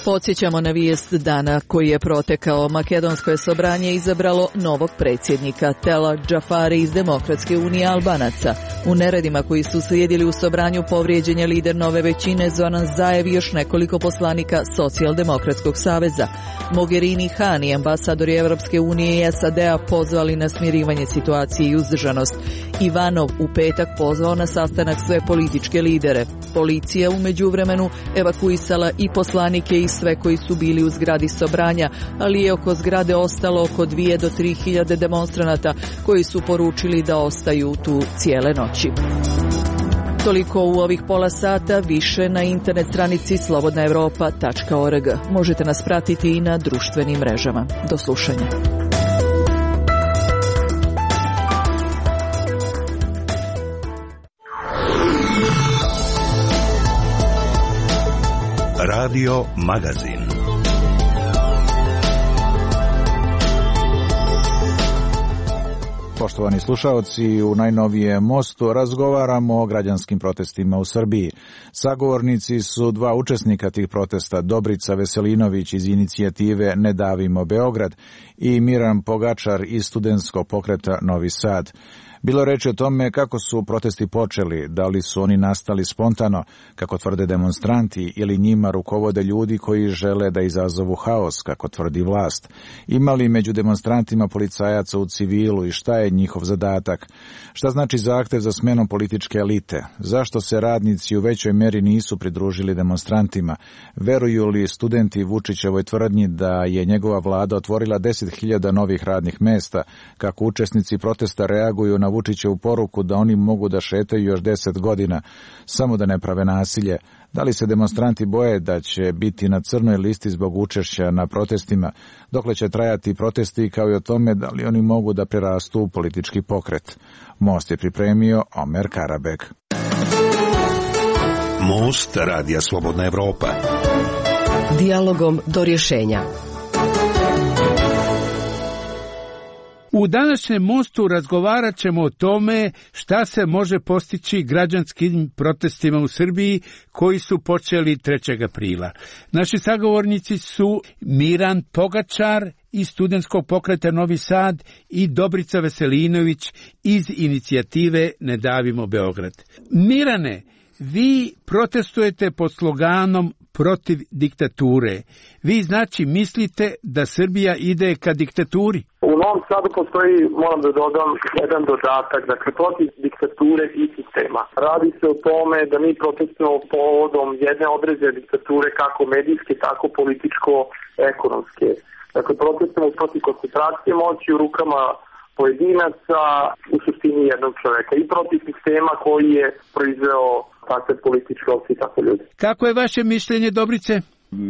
Podsjećamo na vijest dana koji je protekao. Makedonsko je sobranje izabralo novog predsjednika Tela Džafari iz Demokratske unije Albanaca. U neredima koji su slijedili u Sobranju povrijeđen je lider nove većine Zoran Zaev i još nekoliko poslanika Socijaldemokratskog saveza. Mogherini, Han i ambasadori Evropske unije i S A D-a pozvali na smirivanje situacije i uzdržanost. Ivanov u petak pozvao na sastanak sve političke lidere. Policija u međuvremenu evakuisala i poslanike i sve koji su bili u zgradi Sobranja, ali je oko zgrade ostalo oko dvije do tri hiljade demonstranata koji su poručili da ostaju tu cijele noći. Toliko u ovih pola sata, više na internet stranici slobodna evropa tačka org. Možete nas pratiti i na društvenim mrežama. Do slušanja. Radio Magazin. Poštovani slušaoci, u najnovijem Mostu razgovaramo o građanskim protestima u Srbiji. Sagovornici su dva učesnika tih protesta, Dobrica Veselinović iz inicijative Ne davimo Beograd i Miran Pogačar iz studentskog pokreta Novi Sad. Bilo reči o tome kako su protesti počeli, da li su oni nastali spontano, kako tvrde demonstranti, ili njima rukovode ljudi koji žele da izazovu haos, kako tvrdi vlast. Ima li među demonstrantima policajaca u civilu i šta je njihov zadatak? Šta znači zahtev za smenom političke elite? Zašto se radnici u većoj meri nisu pridružili demonstrantima? Veruju li studenti Vučićevoj tvrdnji da je njegova vlada otvorila deset hiljada novih radnih mesta? Kako učesnici protesta reaguju na Vučićevu poruku da oni mogu da šetaju još deset godina, samo da ne prave nasilje? Da li se demonstranti boje da će biti na crnoj listi zbog učešća na protestima? Dokle će trajati protesti, kao i o tome da li oni mogu da prerastu u politički pokret? Most je pripremio Omer Karabek. Most Radija Slobodna Evropa. Dijalogom do rješenja. U današnjem Mostu razgovarat ćemo o tome šta se može postići građanskim protestima u Srbiji koji su počeli trećeg aprila. Naši sagovornici su Miran Pogačar iz studentskog pokreta Novi Sad i Dobrica Veselinović iz inicijative Ne davimo Beograd. Mirane, vi protestujete pod sloganom protiv diktature. Vi znači mislite da Srbija ide ka diktaturi? U Novom Sadu postoji, moram da dodam, jedan dodatak, dakle protiv diktature i sistema. Radi se o tome da mi protestujemo povodom jedne određene diktature, kako medijske, tako političko-ekonomske. Dakle, protestujemo protiv koncentracije moći u rukama pojedinaca, u suštini jednog čoveka, i protiv sistema koji je proizveo takve političke opcije i takve ljudi. Kako je vaše mišljenje, Dobrice?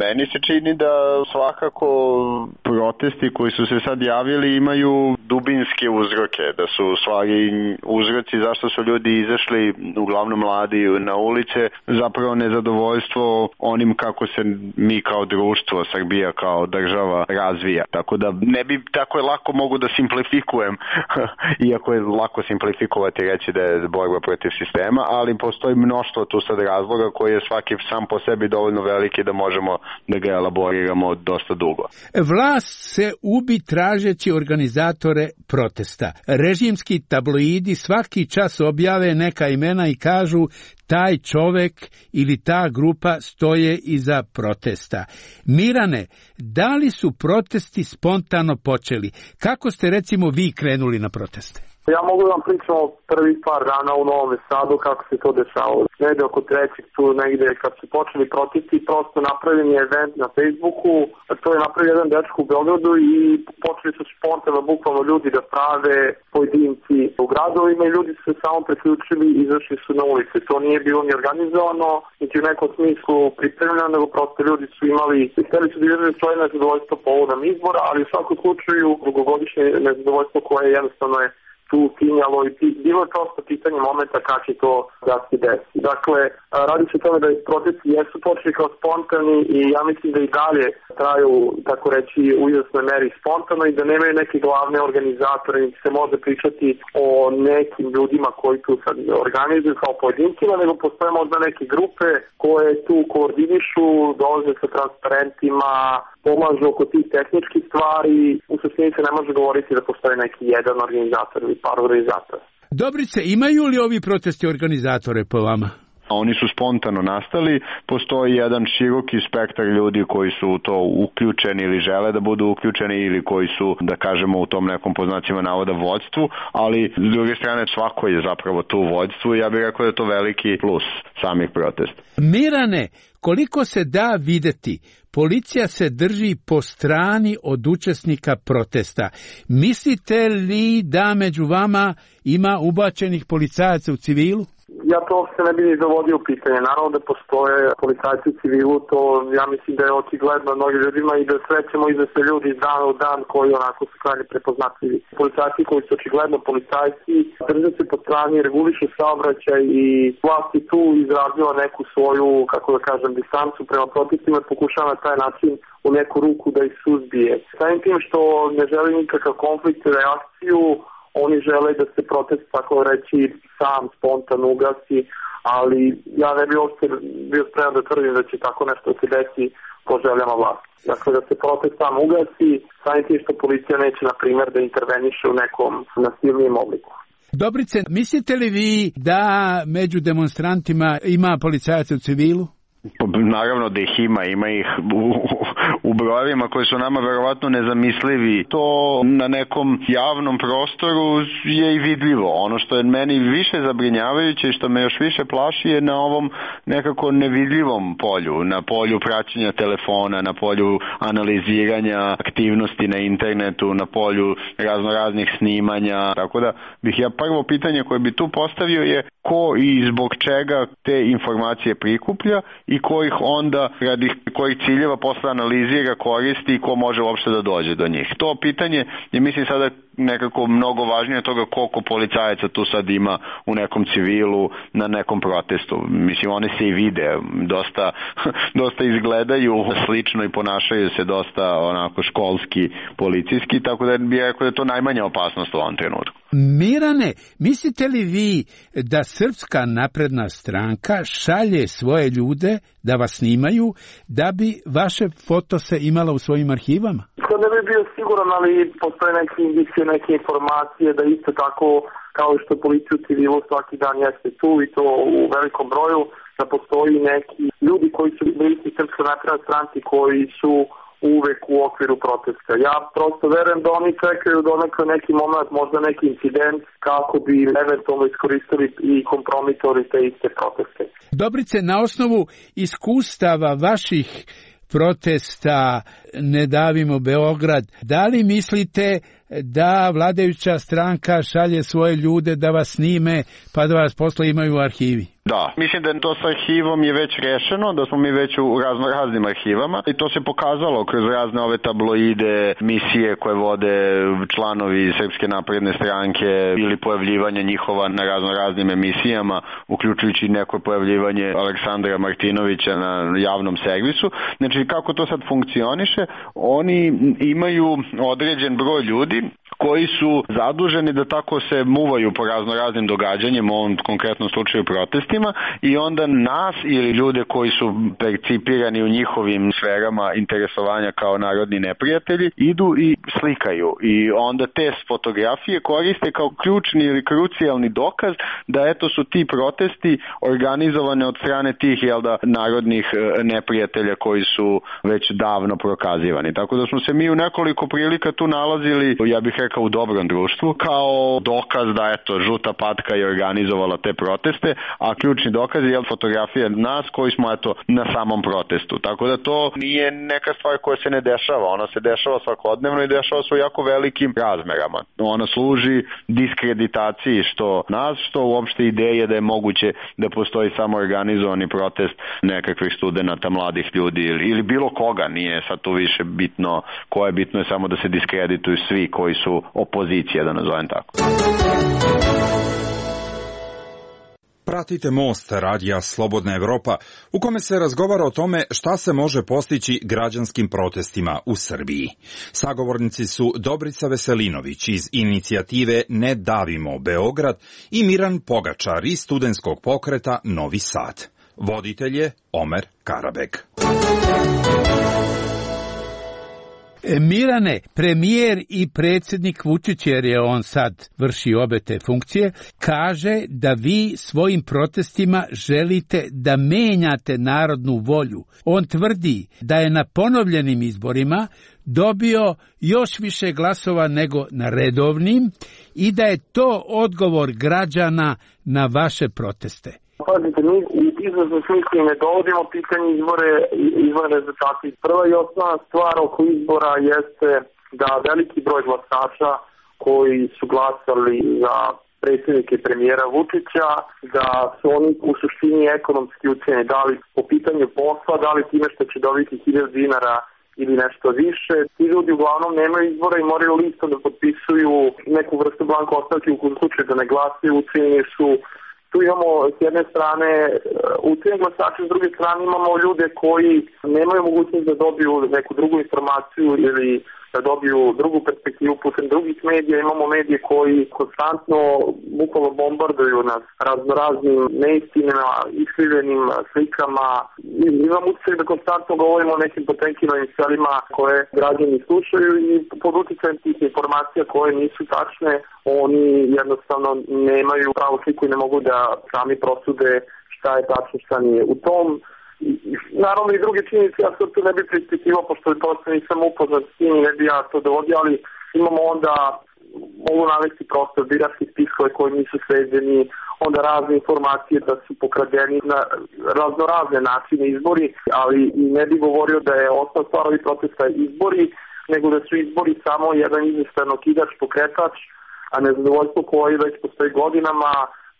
Meni se čini da svakako protesti koji su se sad javili imaju dubinske uzroke, da su u stvari uzroci zašto su ljudi izašli, uglavnom mladi, na ulice, zapravo nezadovoljstvo onim kako se mi kao društvo, Srbija kao država razvija. Tako da ne bi tako je lako mogu da simplifikujem, iako je lako simplifikovati reći da je borba protiv sistema, ali postoji mnoštvo tu sad razloga koji je svaki sam po sebi dovoljno veliki da možemo da ga elaboriramo dosta dugo. Vlast se ubi tražeći organizatore protesta. Režimski tabloidi svaki čas objave neka imena i kažu taj čovek ili ta grupa stoje iza protesta. Mirane, da li su protesti spontano počeli? Kako ste recimo vi krenuli na proteste? Ja mogu da vam pričam o prvih par dana u Novom Sadu kako se to dešavalo. Negde oko trećeg tu negde kad su počeli protesti, prosto napravljen je event na Facebooku, to je napravio jedan dečko u Beogradu i počeli su spontano bukvalno ljudi da prave pojedinci u gradovima i ljudi su se samo preključili i izašli su na ulice. To nije bilo ni organizovano, niti u nekom smislu pripremljeno, nego prosto ljudi su imali, hteli su da izraže svoje nezadovoljstvo povodom izbora, ali u svakom slučaju dugogodišnje nezadovoljstvo koje jednostavno je tu tinjalo i bilo je prosto pitanje momenta kada će to da se desi. Dakle, radi se o tome da protesti jesu počeli kao spontani i ja mislim da i dalje traju, tako reći, u izvesnoj meri spontano i da nemaju neke glavne organizatore, niti se može pričati o nekim ljudima koji tu sad organizuju kao pojedincima, nego postoje možda neke grupe koje tu koordinišu, dolaze sa transparentima, pomažu oko tih tehničkih stvari. U suštini se ne može govoriti da postoji neki jedan organizator ili par organizatora. Dobrice, imaju li ovi protesti organizatore po vama? Oni su spontano nastali, postoji jedan široki spektar ljudi koji su u to uključeni ili žele da budu uključeni ili koji su, da kažemo, u tom nekom po znacima navoda vođstvu, ali s druge strane svako je zapravo tu vođstvu i ja bih rekao da je to veliki plus samih protesta. Mirane, koliko se da videti, policija se drži po strani od učesnika protesta. Mislite li da među vama ima ubačenih policajaca u civilu? Ja to uopšte ne bi ni dovodio u pitanje. Naravno da postoje policajci u civilu, to ja mislim da je očigledno mnogim ljudima i da srećemo i da se ljudi iz dana u dan koji onako su krajnje prepoznatljivi. Policajci koji su očigledno policajci drže se po strani, regulišu saobraćaj i vlast je tu izrazila neku svoju, kako da kažem, distancu prema protestima i pokušava na taj način u neku ruku da ih suzbije. Samim tim što ne želi nikakav konflikt i reakciju, oni žele da se protest, tako reći, sam spontan ugasi, ali ja ne bi uopšte bio spreman da tvrdim da će tako nešto se desi po željama vlasti. Dakle, da se protest sam ugasi, samim tim što policija neće, na primjer, da interveniše u nekom nasilnijem obliku. Dobrice, mislite li vi da među demonstrantima ima policajaca u civilu? Naravno da ih ima, ima ih u, u brojevima koji su nama verovatno nezamislivi. To na nekom javnom prostoru je i vidljivo. Ono što je meni više zabrinjavajuće i što me još više plaši je na ovom nekako nevidljivom polju, na polju praćenja telefona, na polju analiziranja aktivnosti na internetu, na polju raznoraznih snimanja. Tako da bih ja prvo pitanje koje bi tu postavio je ko i zbog čega te informacije prikuplja i ko ih onda radi kojih ciljeva posle analizira, koristi i ko može uopšte da dođe do njih. To pitanje je, mislim, sada nekako mnogo važnije od toga koliko policajaca tu sad ima u nekom civilu na nekom protestu. Mislim, one se i vide, dosta, dosta izgledaju slično i ponašaju se dosta onako školski, policijski, tako da bih rekao da je to najmanja opasnost u ovom trenutku. Mirane, mislite li vi da Srpska napredna stranka šalje svoje ljude da vas snimaju da bi vaše foto se imala u svojim arhivama? To ne bi bio siguran, ali postoje neke indicije, neke informacije da isto tako kao što policija u civilu svaki dan jeste tu i to u velikom broju, da postoji neki ljudi koji su bliski Srpskoj naprednoj stranci koji su uvek u okviru protesta. Ja prosto verujem da oni čekaju da onako neki moment, možda neki incident, kako bi eventualno iskoristili i kompromitovali te iste proteste. Dobrice, na osnovu iskustava vaših protesta Ne davimo Beograd, da li mislite da vladajuća stranka šalje svoje ljude da vas snime pa da vas posle imaju u arhivi? Da, mislim da to sa arhivom je već rešeno, da smo mi već u razno raznim arhivama i to se pokazalo kroz razne ove tabloide, misije koje vode članovi Srpske napredne stranke ili pojavljivanje njihova na razno raznim emisijama, uključujući neko pojavljivanje Aleksandra Martinovića na javnom servisu. Znači, kako to sad funkcioniše? Oni imaju određen broj ljudi koji su zaduženi da tako se muvaju po razno raznim događanjima, u ovom konkretnom slučaju protestima, i onda nas ili ljude koji su percipirani u njihovim sferama interesovanja kao narodni neprijatelji idu i slikaju i onda te fotografije koriste kao ključni ili krucijalni dokaz da eto su ti protesti organizovane od strane tih jel da, narodnih neprijatelja koji su već davno prokazivani. Tako da smo se mi u nekoliko prilika tu nalazili, ja bih rekao, u dobrom društvu, kao dokaz da eto žuta patka je organizovala te proteste, a ključni dokaz je fotografija nas koji smo eto na samom protestu. Tako da to nije neka stvar koja se ne dešava, ona se dešava svakodnevno i dešava se u jako velikim razmerama. Ona služi diskreditaciji što nas, što uopšte ideje da je moguće da postoji samo organizovani protest nekakvih studenata, mladih ljudi ili, ili bilo koga, nije sad tu više bitno ko je, bitno je samo da se diskredituju svi koji su opozicija, da nazovem tako. Pratite Most, radija Slobodna Evropa, u kome se razgovara o tome šta se može postići građanskim protestima u Srbiji. Sagovornici su Dobrica Veselinović iz inicijative Ne davimo Beograd i Miran Pogačar iz studentskog pokreta Novi Sad. Voditelj je Omer Karabek. Mirane, premijer i predsjednik Vučić, jer je on sad vrši obe te funkcije, kaže da vi svojim protestima želite da menjate narodnu volju. On tvrdi da je na ponovljenim izborima dobio još više glasova nego na redovnim i da je to odgovor građana na vaše proteste. Pazite, mi u izvršnom smislu ne dovodimo pitanje izbore i izborne rezultate. Prva i osnovna stvar oko izbora jeste da veliki broj glasača koji su glasali za predsjednike i premijera Vučića, da su oni u suštini ekonomski ucenjeni, da li po pitanju posla, da li time što će dobiti hiljadu dinara ili nešto više. Ti ljudi uglavnom nemaju izbora i moraju listom da potpisuju neku vrstu blanko ostavke u slučaju da ne glasaju, ucenjeni su. Tu imamo s jedne strane ucenjeni glasače, s druge strane imamo ljude koji nemaju mogućnost da dobiju neku drugu informaciju ili da dobiju drugu perspektivu putem drugih medija. Imamo medije koji konstantno bukvalno bombarduju nas raznoraznim neistinama, iskrivljenim slikama. Imamo utjecaj da konstantno govorimo o nekim potenkinovim stvarima koje građani slušaju i pod utjecajem tih informacija koje nisu tačne, oni jednostavno nemaju pravu sliku i ne mogu da sami prosude šta je tačno, šta nije. U tom naravno i druge činjenice, ja se tu ne bi prispitivao, pošto je to nisam upoznat s tim i ne bi ja to dovodio, ali imamo onda, mogu navesti prosto biračke spiskove koji nisu sređeni, onda razne informacije da su pokradeni na raznorazne načine izbori, ali i ne bi govorio da je osnov stvar ovih protesta izbori, nego da su izbori samo jedan izvestan okidač, pokretač, a nezadovoljstvo koje već postoji godinama.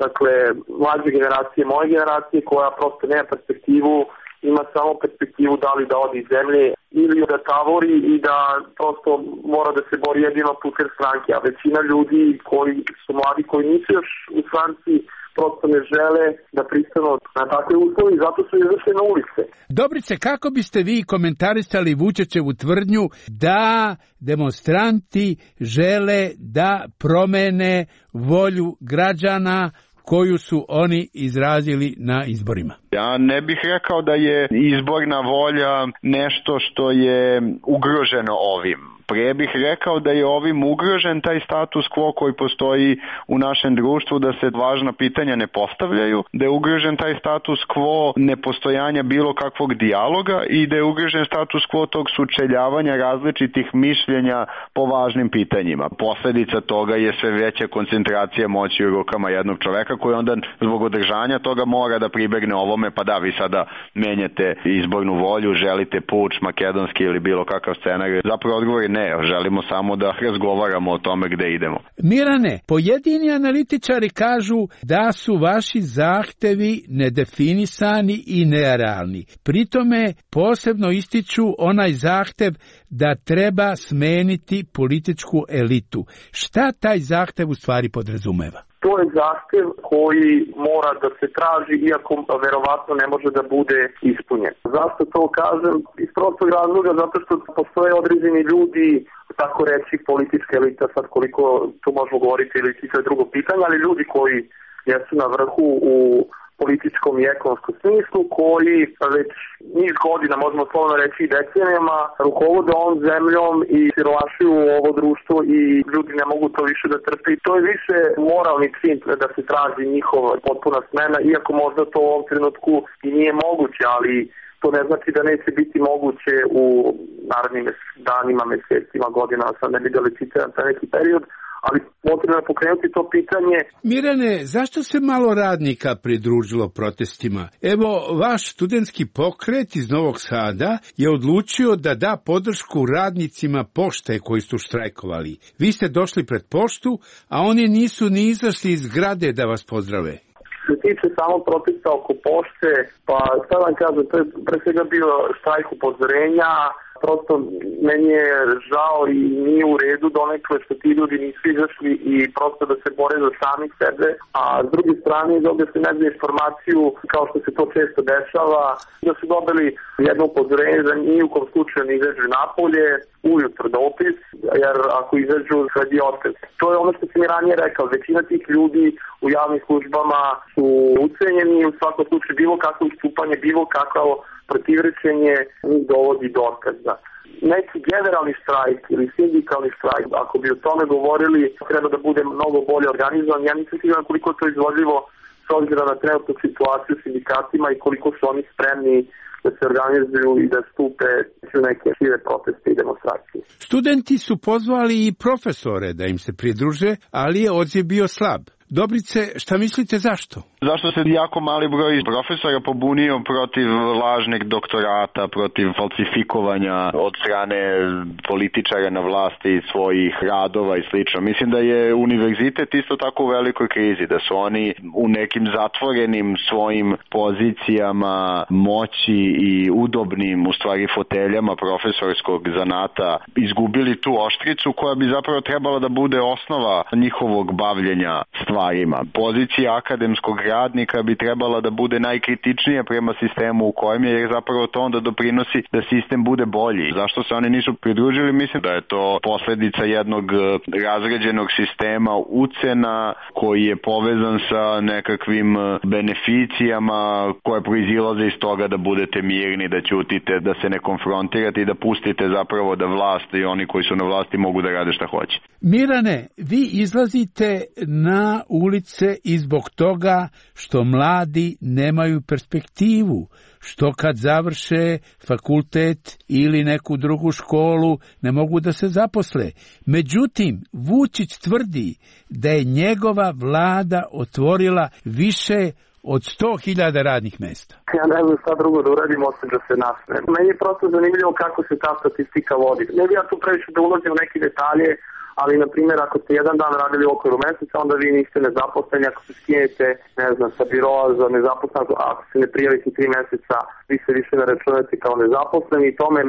Dakle, mlađe generacije, moje generacije, koja prosto nema perspektivu, ima samo perspektivu da li da odi iz zemlje ili da tavori i da prosto mora da se bori jedino putem stranke. A većina ljudi koji su mladi, koji nisu još u stranci, prosto ne žele da pristanu na takve uslovi, zato su izašli na ulice. Dobrice, kako biste vi komentarisali Vučićevu tvrdnju da demonstranti žele da promene volju građana koju su oni izrazili na izborima? Ja ne bih rekao da je izborna volja nešto što je ugroženo ovim. Pre bih rekao da je ovim ugrožen taj status quo koji postoji u našem društvu, da se važna pitanja ne postavljaju, da je ugrožen taj status quo nepostojanja bilo kakvog dijaloga i da je ugrožen status quo tog sučeljavanja različitih mišljenja po važnim pitanjima. Posledica toga je sve veća koncentracija moći u rukama jednog čoveka koji onda zbog održanja toga mora da pribegne ovome, pa da, vi sada menjate izbornu volju, želite puč makedonski ili bilo kakav scenarij. Zapravo odgovor je ne. Ne, želimo samo da razgovaramo o tome gde idemo. Mirane, pojedini analitičari kažu da su vaši zahtevi nedefinisani i nerealni. Pritome posebno ističu onaj zahtev da treba smeniti političku elitu. Šta taj zahtev u stvari podrazumeva? To je zahtev koji mora da se traži, iako verovatno ne može da bude ispunjen. Zašto to kažem? Iz prostog razloga, zato što postoje određeni ljudi, tako reći politička elita, sad koliko tu možemo govoriti ili to je drugo pitanje, ali ljudi koji jesu na vrhu u političkom i ekonomskom smislu, koji već niz godina, možemo slovno reći i decenijama, rukovode ovom zemljom i siromašuju ovo društvo i ljudi ne mogu to više da trpe. To je više moralni čin da se traži njihova potpuna smena, iako možda to u ovom trenutku i nije moguće, ali to ne znači da neće biti moguće u narednim danima, mesecima, godinama, sad ne bi da licitiram za neki period, ali potrebno je pokrenuti to pitanje. Mirane, zašto se malo radnika pridružilo protestima? Evo, vaš studentski pokret iz Novog Sada je odlučio da da podršku radnicima pošte koji su štrajkovali. Vi ste došli pred poštu, a oni nisu ni izašli iz zgrade da vas pozdrave. Što se tiče samo protesta oko pošte, pa sad vam kažem, to je pre svega bio štrajk upozorenja. Prosto meni je žao i nije u redu donekle što ti ljudi nisu izašli i prosto da se bore za sami sebe, a s druge strane dobio se negdje informaciju, kao što se to često dešava, da su dobili jedno upozorenje da ni u kom slučaju ne izađu napolje, ujutro dopis, jer ako izađu sledi otkaz. To je ono što sam i ranije rekao, većina tih ljudi u javnim službama su ucenjeni, u svakom slučaju bilo kakvo istupanje, bilo kakav protivrečenje njih dovodi do otkaza. Neki generalni štrajk ili sindikalni štrajk, ako bi o tome govorili, treba da bude mnogo bolje organizovan. Ja nisam siguran koliko je to izvodljivo s obzirom na trenutnu situaciju s sindikatima i koliko su oni spremni da se organizuju i da stupe u neke šire proteste i demonstracije. Studenti su pozvali i profesore da im se pridruže, ali je odziv bio slab. Dobrice, šta mislite zašto? Zašto se jako mali broj profesora pobunio protiv lažnih doktorata, protiv falsifikovanja od strane političara na vlasti svojih radova i slično. Mislim da je univerzitet isto tako u velikoj krizi, da su oni u nekim zatvorenim svojim pozicijama moći i udobnim u stvari foteljama profesorskog zanata izgubili tu oštricu koja bi zapravo trebala da bude osnova njihovog bavljenja stvarima. Pozicija akademskog radnika bi trebala da bude najkritičnija prema sistemu u kojem je, jer zapravo to onda doprinosi da sistem bude bolji. Zašto se oni nisu pridružili? Mislim da je to posledica jednog razređenog sistema ucena koji je povezan sa nekakvim beneficijama koje proizilaze iz toga da budete mirni, da ćutite, da se ne konfrontirate i da pustite zapravo da vlast i oni koji su na vlasti mogu da rade šta hoće. Mirane, vi izlazite na ulice i zbog toga što mladi nemaju perspektivu, što kad završe fakultet ili neku drugu školu ne mogu da se zaposle. Međutim, Vučić tvrdi da je njegova vlada otvorila više od sto hiljada radnih mesta. Ja ne znam šta drugo da uradim osim da se nasmejem. Meni je prosto zanimljivo kako se ta statistika vodi. Ne bi ja tu previše da ulazim u neke detalje, ali, na primjer, ako ste jedan dan radili u okviru meseca, onda vi niste nezaposleni. Ako se skinete, ne znam, sa biroa za nezaposlenost, ako se ne prijavite tri meseca, vi se više ne računate kao nezaposleni. I tome,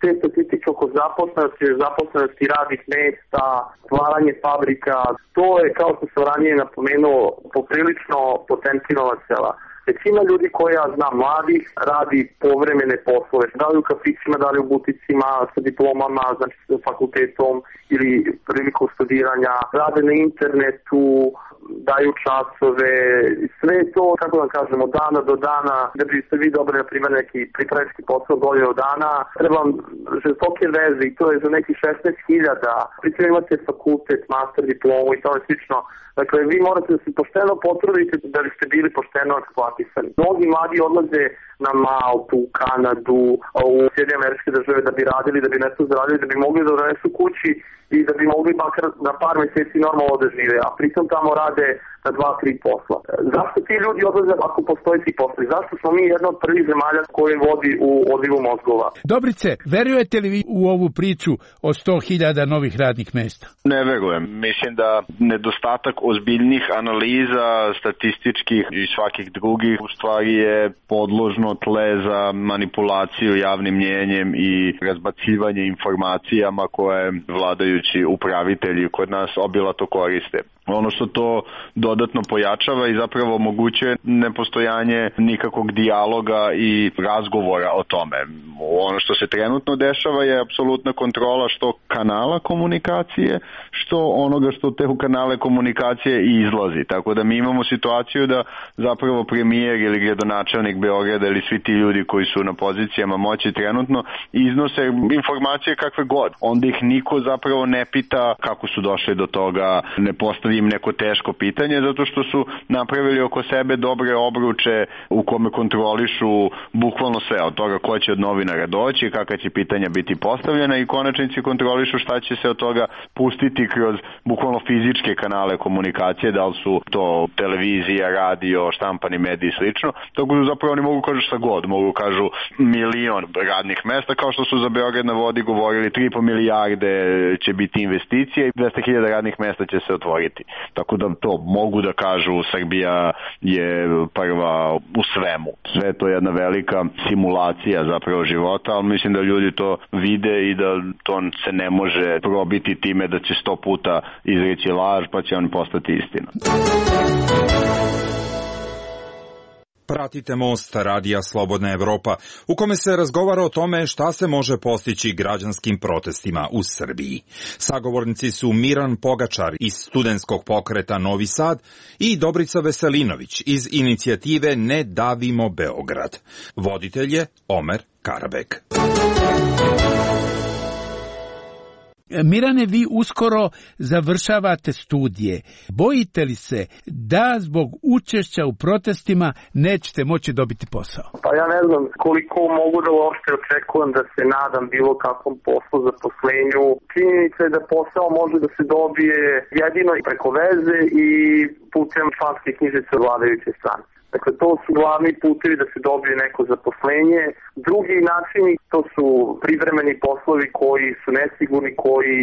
te statistike oko zaposlenosti, zaposlenosti radnih mesta, stvaranje fabrika, to je, kao što sam ranije napomenuo, poprilično Potemkinova sela. Većina ljudi koja ja znam mladih radi povremene poslove, da li u kafićima, da li u buticima sa diplomama, znači sa fakultetom ili prilikom studiranja, rade na internetu, daju časove, sve to, kako da kažemo, dana do dana, da biste vi dobili, na primjer, neki pripravnički posao godinu dana, trebam žestoke veze i to je za neki šesnaest hiljada, pritom imate fakultet, master diplomu i to je slično. Dakle, vi morate da se pošteno potrudite da biste bili pošteno eksploatisani. Mnogi mladi odlaze na Maltu, Kanadu, u Sjedinjene Američke Države da bi radili, da bi nešto zaradili, da bi mogli da donesu kući i da bi mogli makar na par meseci normalno da žive, a pritom tamo rade na dva, tri posla. Zašto ti ljudi odlaze ako postoji ti posli? Zašto smo mi jedna od prvih zemalja koje vodi u odlivu mozgova? Dobrice, verujete li vi u ovu priču o sto hiljada novih radnih mesta? Ne verujem. Mislim da nedostatak ozbiljnih analiza, statističkih i svakih drugih, u stvari je podložno tle za manipulaciju javnim mnjenjem i razbacivanje informacijama koje vladajući upravitelji kod nas obilato koriste. Ono što to dodatno pojačava i zapravo omogućuje nepostojanje nikakvog dijaloga i razgovora o tome. Ono što se trenutno dešava je apsolutna kontrola što kanala komunikacije, što onoga što te u kanale komunikacije i izlazi. Tako da mi imamo situaciju da zapravo premijer ili gradonačelnik Beograda ili svi ti ljudi koji su na pozicijama moći trenutno iznose informacije kakve god. Onda ih niko zapravo ne pita kako su došli do toga, ne postavi im neko teško pitanje, zato što su napravili oko sebe dobre obruče u kome kontrolišu bukvalno sve, od toga ko će od novinara doći, kakva će pitanja biti postavljena i konačnici kontrolišu šta će se od toga pustiti kroz bukvalno fizičke kanale komunikacije, da li su to televizija, radio, štampani mediji i slično. Tako da zapravo oni mogu kažu šta god, mogu kažu milion radnih mesta, kao što su za Beograd na vodi govorili tri i po milijarde će biti investicije i dvesta hiljada radnih mesta će se otvoriti. Tako da to mogu da kažu, Srbija je prva u svemu. Sve to je jedna velika simulacija zapravo života, ali mislim da ljudi to vide i da to se ne može probiti time da će sto puta izreći laž pa će on postati istina. Pratite Most radija Slobodna Evropa, u kome se razgovara o tome šta se može postići građanskim protestima u Srbiji. Sagovornici su Miran Pogačar iz studentskog pokreta Novi Sad i Dobrica Veselinović iz inicijative Ne davimo Beograd. Voditelj je Omer Karabek. Mirane, vi uskoro završavate studije. Bojite li se da zbog učešća u protestima nećete moći dobiti posao? Pa ja ne znam koliko mogu da uopšte očekujem da se nadam bilo kakvom poslu, zaposlenju. Činjenica je da posao može da se dobije jedino preko veze i putem članske knjižice vladajuće strane. Dakle, to su glavni putevi da se dobije neko zaposlenje. Drugi načini, to su privremeni poslovi koji su nesigurni, koji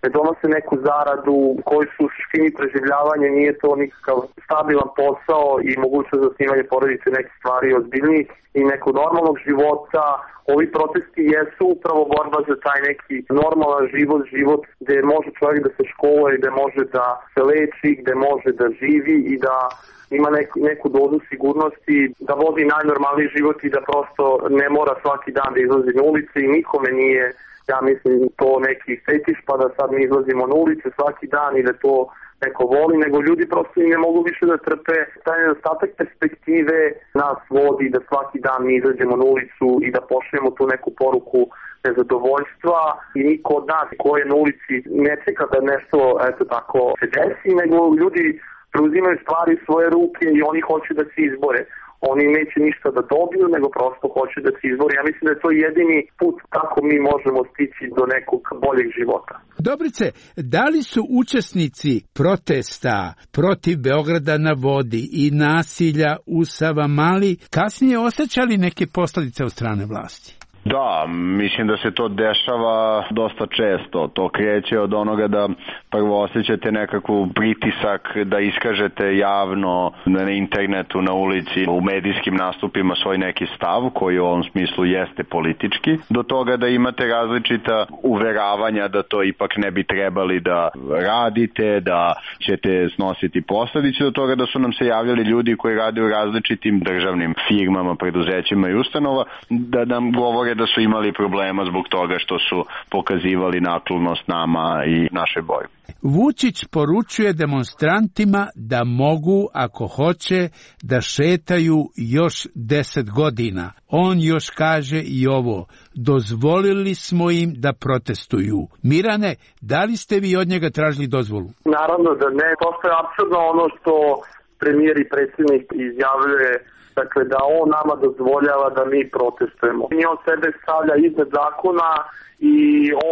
ne donose neku zaradu, koji su u suštini preživljavanje, nije to nikakav stabilan posao i mogućnost zasnivanja porodice nekih stvari ozbiljnijih i nekog normalnog života. Ovi protesti jesu upravo borba za taj neki normalan život, život gde može čovjek da se školuje, gde može da se leči, gde može da živi i da ima neku, neku dozu sigurnosti, da vodi najnormalniji život i da prosto ne mora svaki dan da izlazi na ulice i nikome nije, ja mislim, to neki fetiš pa da sad mi izlazimo na ulice svaki dan i da to neko voli, nego ljudi prosto i ne mogu više da trpe. Taj nedostatak perspektive nas vodi da svaki dan mi izađemo na ulicu i da pošljemo tu neku poruku nezadovoljstva i niko od nas ko je na ulici ne čeka da nešto eto tako se desi, nego ljudi preuzimaju stvari u svoje ruke i oni hoće da se izbore. Oni neće ništa da dobiju, nego prosto hoće da se izbore. Ja mislim da je to jedini put kako mi možemo stići do nekog boljeg života. Dobrice, da li su učesnici protesta protiv Beograda na vodi i nasilja u Savamali kasnije osjećali neke posljedice od strane vlasti? Da, mislim da se to dešava dosta često. To kreće od onoga da prvo osjećate nekakvu pritisak da iskažete javno na internetu, na ulici, u medijskim nastupima svoj neki stav koji u ovom smislu jeste politički, do toga da imate različita uveravanja da to ipak ne bi trebali da radite, da ćete snositi posledice, do toga da su nam se javljali ljudi koji rade u različitim državnim firmama, preduzećima i ustanova, da nam govore da su imali problema zbog toga što su pokazivali naklonost nama i našoj borbi. Vučić poručuje demonstrantima da mogu, ako hoće, da šetaju još deset godina. On još kaže i ovo: dozvolili smo im da protestuju. Mirane, da li ste vi od njega tražili dozvolu? Naravno da ne. To je apsurdno ono što premijer i predsjednik izjavljuje, dakle da on nama dozvoljava da mi protestujemo. I on sebe stavlja iznad zakona i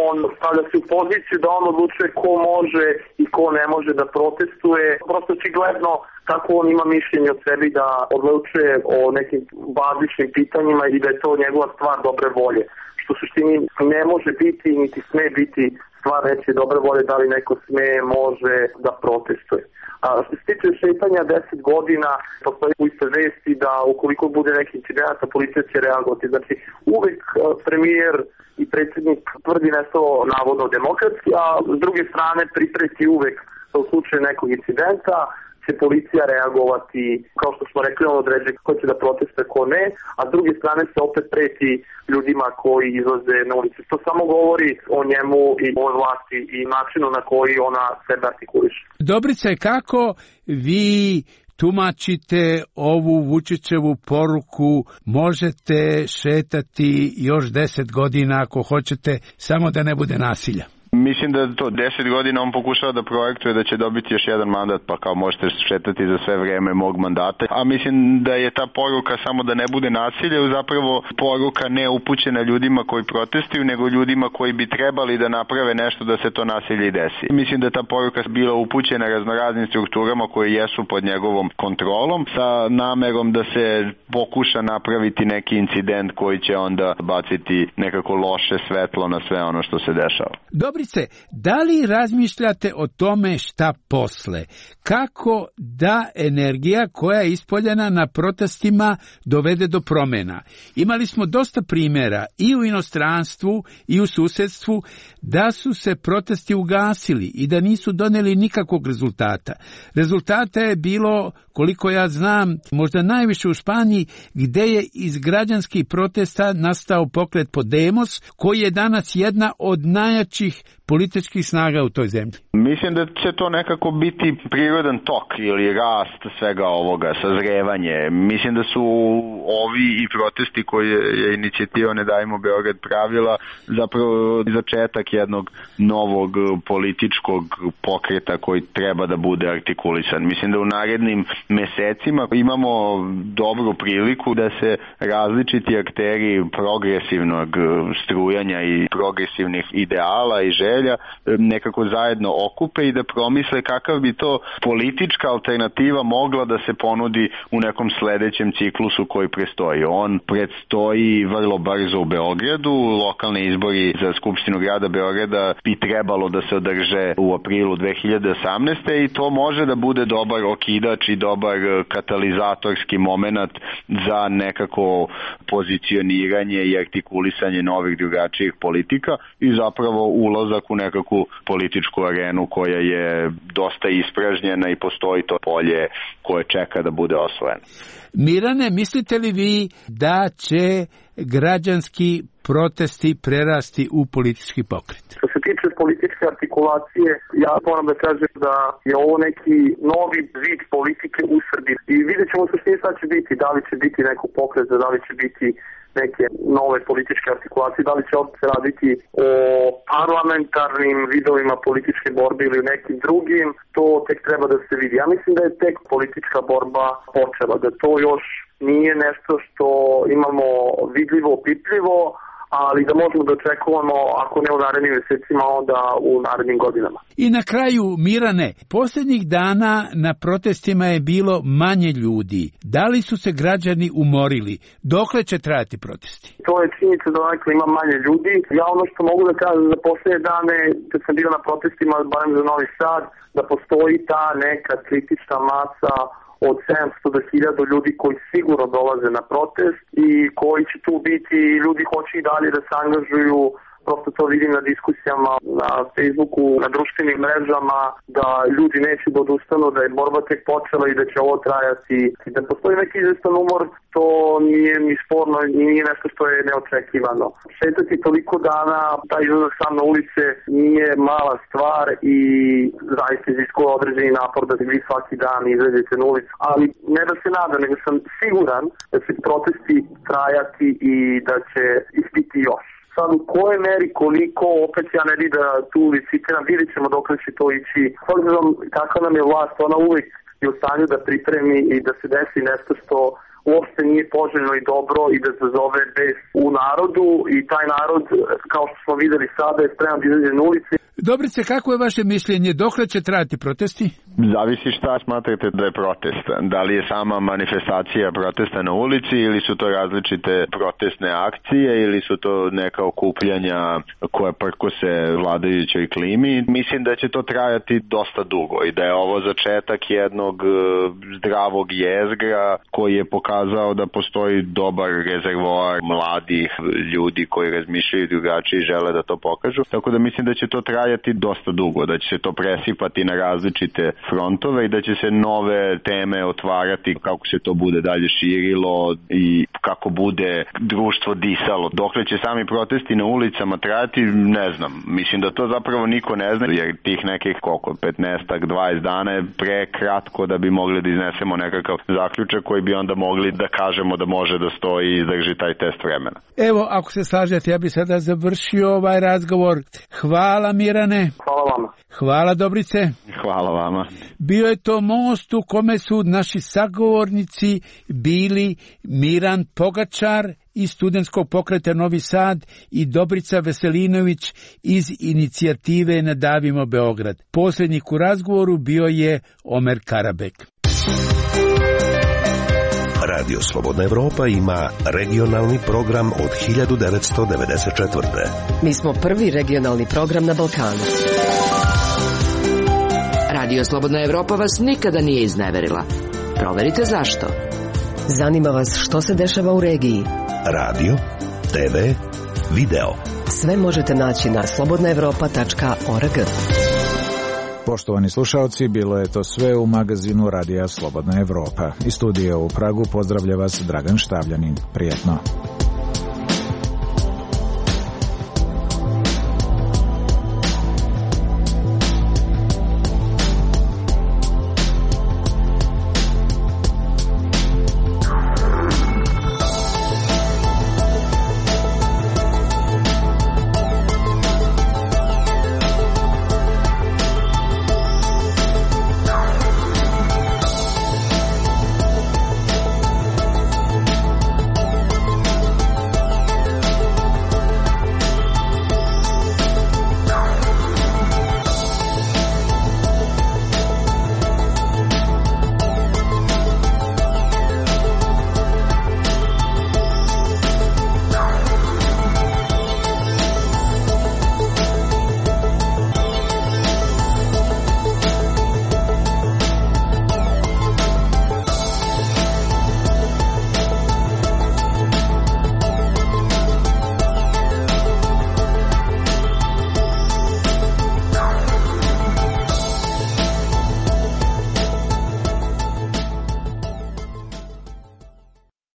on stavlja se u poziciju da on odlučuje ko može i ko ne može da protestuje. Prosto očigledno kako on ima mišljenje o sebi da odlučuje o nekim bazičnim pitanjima i da je to njegova stvar dobre volje. Što u suštini ne može biti niti sme biti stvar reći dobre volje da li neko sme, može da protestuje. A što se tiče šetanja deset godina, postoji u iste vesti da ukoliko bude neki incident, policija će reagovati. Znači, uvek premijer i predsjednik tvrdi nešto navodno demokratski, a s druge strane pripreti uvek da u slučaju nekog incidenta će policija reagovati, kao što smo rekli, on određuje ko će da protestuje, ko ne, a s druge strane se opet preti ljudima koji izlaze na ulici. To samo govori o njemu i o vlasti i načinu na koji ona sebe artikuliše. Dobrice, kako vi tumačite ovu Vučićevu poruku: možete šetati još deset godina ako hoćete, samo da ne bude nasilja? Mislim da to deset godina on pokušava da projektuje da će dobiti još jedan mandat, pa kao možete šetati za sve vreme mog mandata. A mislim da je ta poruka samo da ne bude nasilja, zapravo poruka ne upućena ljudima koji protestuju, nego ljudima koji bi trebali da naprave nešto da se to nasilje i desi. Mislim da je ta poruka bila upućena raznoraznim strukturama koje jesu pod njegovom kontrolom, sa namerom da se pokuša napraviti neki incident koji će onda baciti nekako loše svetlo na sve ono što se dešava. Dobri Dobrice, da li razmišljate o tome šta posle? Kako da energija koja je ispoljena na protestima dovede do promjena? Imali smo dosta primjera i u inostranstvu i u susedstvu da su se protesti ugasili i da nisu doneli nikakvog rezultata. Rezultata je bilo, koliko ja znam, možda najviše u Španiji, gde je iz građanskih protesta nastao pokret Podemos, koji je danas jedna od najjačih političkih snaga u toj zemlji. Mislim da će to nekako biti prirodan tok ili rast svega ovoga, sazrevanje. Mislim da su ovi i protesti koje je inicijativa Ne davimo Beograd pravila zapravo začetak jednog novog političkog pokreta koji treba da bude artikulisan. Mislim da u narednim mesecima imamo dobru priliku da se različiti akteri progresivnog strujanja i progresivnih ideala i želja nekako zajedno okupe i da promisle kakav bi to politička alternativa mogla da se ponudi u nekom sledećem ciklusu koji prestoji. On predstoji vrlo brzo u Beogradu, lokalni izbori za Skupštinu grada Beograda bi trebalo da se održe u aprilu dve hiljade osamnaeste. i to može da bude dobar okidač i dobar katalizatorski moment za nekako pozicioniranje i artikulisanje novih drugačijih politika i zapravo ulazak u nekakvu političku arenu koja je dosta ispražnjena i postoji to polje koje čeka da bude osvojeno. Mirane, mislite li vi da će građanski protesti prerasti u politički pokret? Što se tiče političke artikulacije, ja moram da kažem da je ovo neki novi vid politike u Srbiji. I vidjet ćemo se što sad će biti, da li će biti neko pokret, da li će biti neke nove političke artikulacije, da li će opet raditi o parlamentarnim vidovima političke borbe ili nekim drugim, to tek treba da se vidi. Ja mislim da je tek politička borba počela, da to još nije nešto što imamo vidljivo, opipljivo, ali da možemo da očekujemo, ako ne u narednim mesecima, onda u narednim godinama. I na kraju, Mirane, posljednjih dana na protestima je bilo manje ljudi. Da li su se građani umorili? Dokle će trajati protesti? To je činjenica da onako ima manje ljudi. Ja ono što mogu da kažem za posljednje dane, kad sam bio na protestima, barem za Novi Sad, da postoji ta neka kritična masa od sedamsto do hiljadu ljudi koji sigurno dolaze na protest i koji će tu biti, ljudi hoće i dalje da se angažuju, prosto to vidim na diskusijama na Facebooku, na društvenim mrežama, da ljudi neće da odustanu, da je borba tek počela i da će ovo trajati. I da postoji neki izvestan umor, to nije ni sporno i nije nešto što je neočekivano. Šetati toliko dana, taj izlazak sam na ulice nije mala stvar i zaista iziskuje određeni napor da vi svaki dan izađete na ulicu. Ali ne da se nadam, nego sam siguran da će protesti trajati i da će ih biti još. Sad u kojoj meri, koliko, opet ja ne vidim da tu licitiram, vidjet ćemo dok će to ići. S obzirom kakva nam je vlast, ona uvijek je u stanju da pripremi i da se desi nešto što uopšte nije poželjno i dobro i da zazove bes u narodu i taj narod, kao što smo videli sada, je spreman da izađe na ulici. Dobrice, kako je vaše mišljenje? Dokle će trajati protesti? Zavisi šta smatrate da je protest. Da li je sama manifestacija protesta na ulici ili su to različite protestne akcije ili su to neka okupljanja koja prkose vladajućoj klimi. Mislim da će to trajati dosta dugo i da je ovo začetak jednog zdravog jezgra koji je pokazao da postoji dobar rezervoar mladih ljudi koji razmišljaju drugačije i žele da to pokažu. Tako da mislim da će to trajati dosta dugo, da će se to presipati na različite frontove i da će se nove teme otvarati kako se to bude dalje širilo i kako bude društvo disalo. Dokle će sami protesti na ulicama trajati, ne znam. Mislim da to zapravo niko ne zna, jer tih nekih koliko, petnaest dvadeset dana je prekratko da bi mogli da iznesemo nekakav zaključak koji bi onda mogli da kažemo da može da stoji i izdrži taj test vremena. Evo, ako se slažete, ja bih sada završio ovaj razgovor. Hvala, Mirane. Hvala vama. Hvala, Dobrice. Hvala vama. Bio je to most u kome su naši sagovornici bili Miran Pogačar iz studentskog pokreta Novi Sad i Dobrica Veselinović iz inicijative Ne davimo Beograd. Posrednik u razgovoru bio je Omer Karabek. Radio Slobodna Evropa ima regionalni program od hiljadu devetsto devedeset četvrte. Mi smo prvi regionalni program na Balkanu. Radio Slobodna Evropa vas nikada nije izneverila. Proverite zašto. Zanima vas što se dešava u regiji. Radio, te ve, video. Sve možete naći na slobodna evropa tačka org. Poštovani slušalci, bilo je to sve u magazinu Radija Slobodna Evropa. Iz studija u Pragu pozdravlja vas Dragan Štavljanin. Prijetno.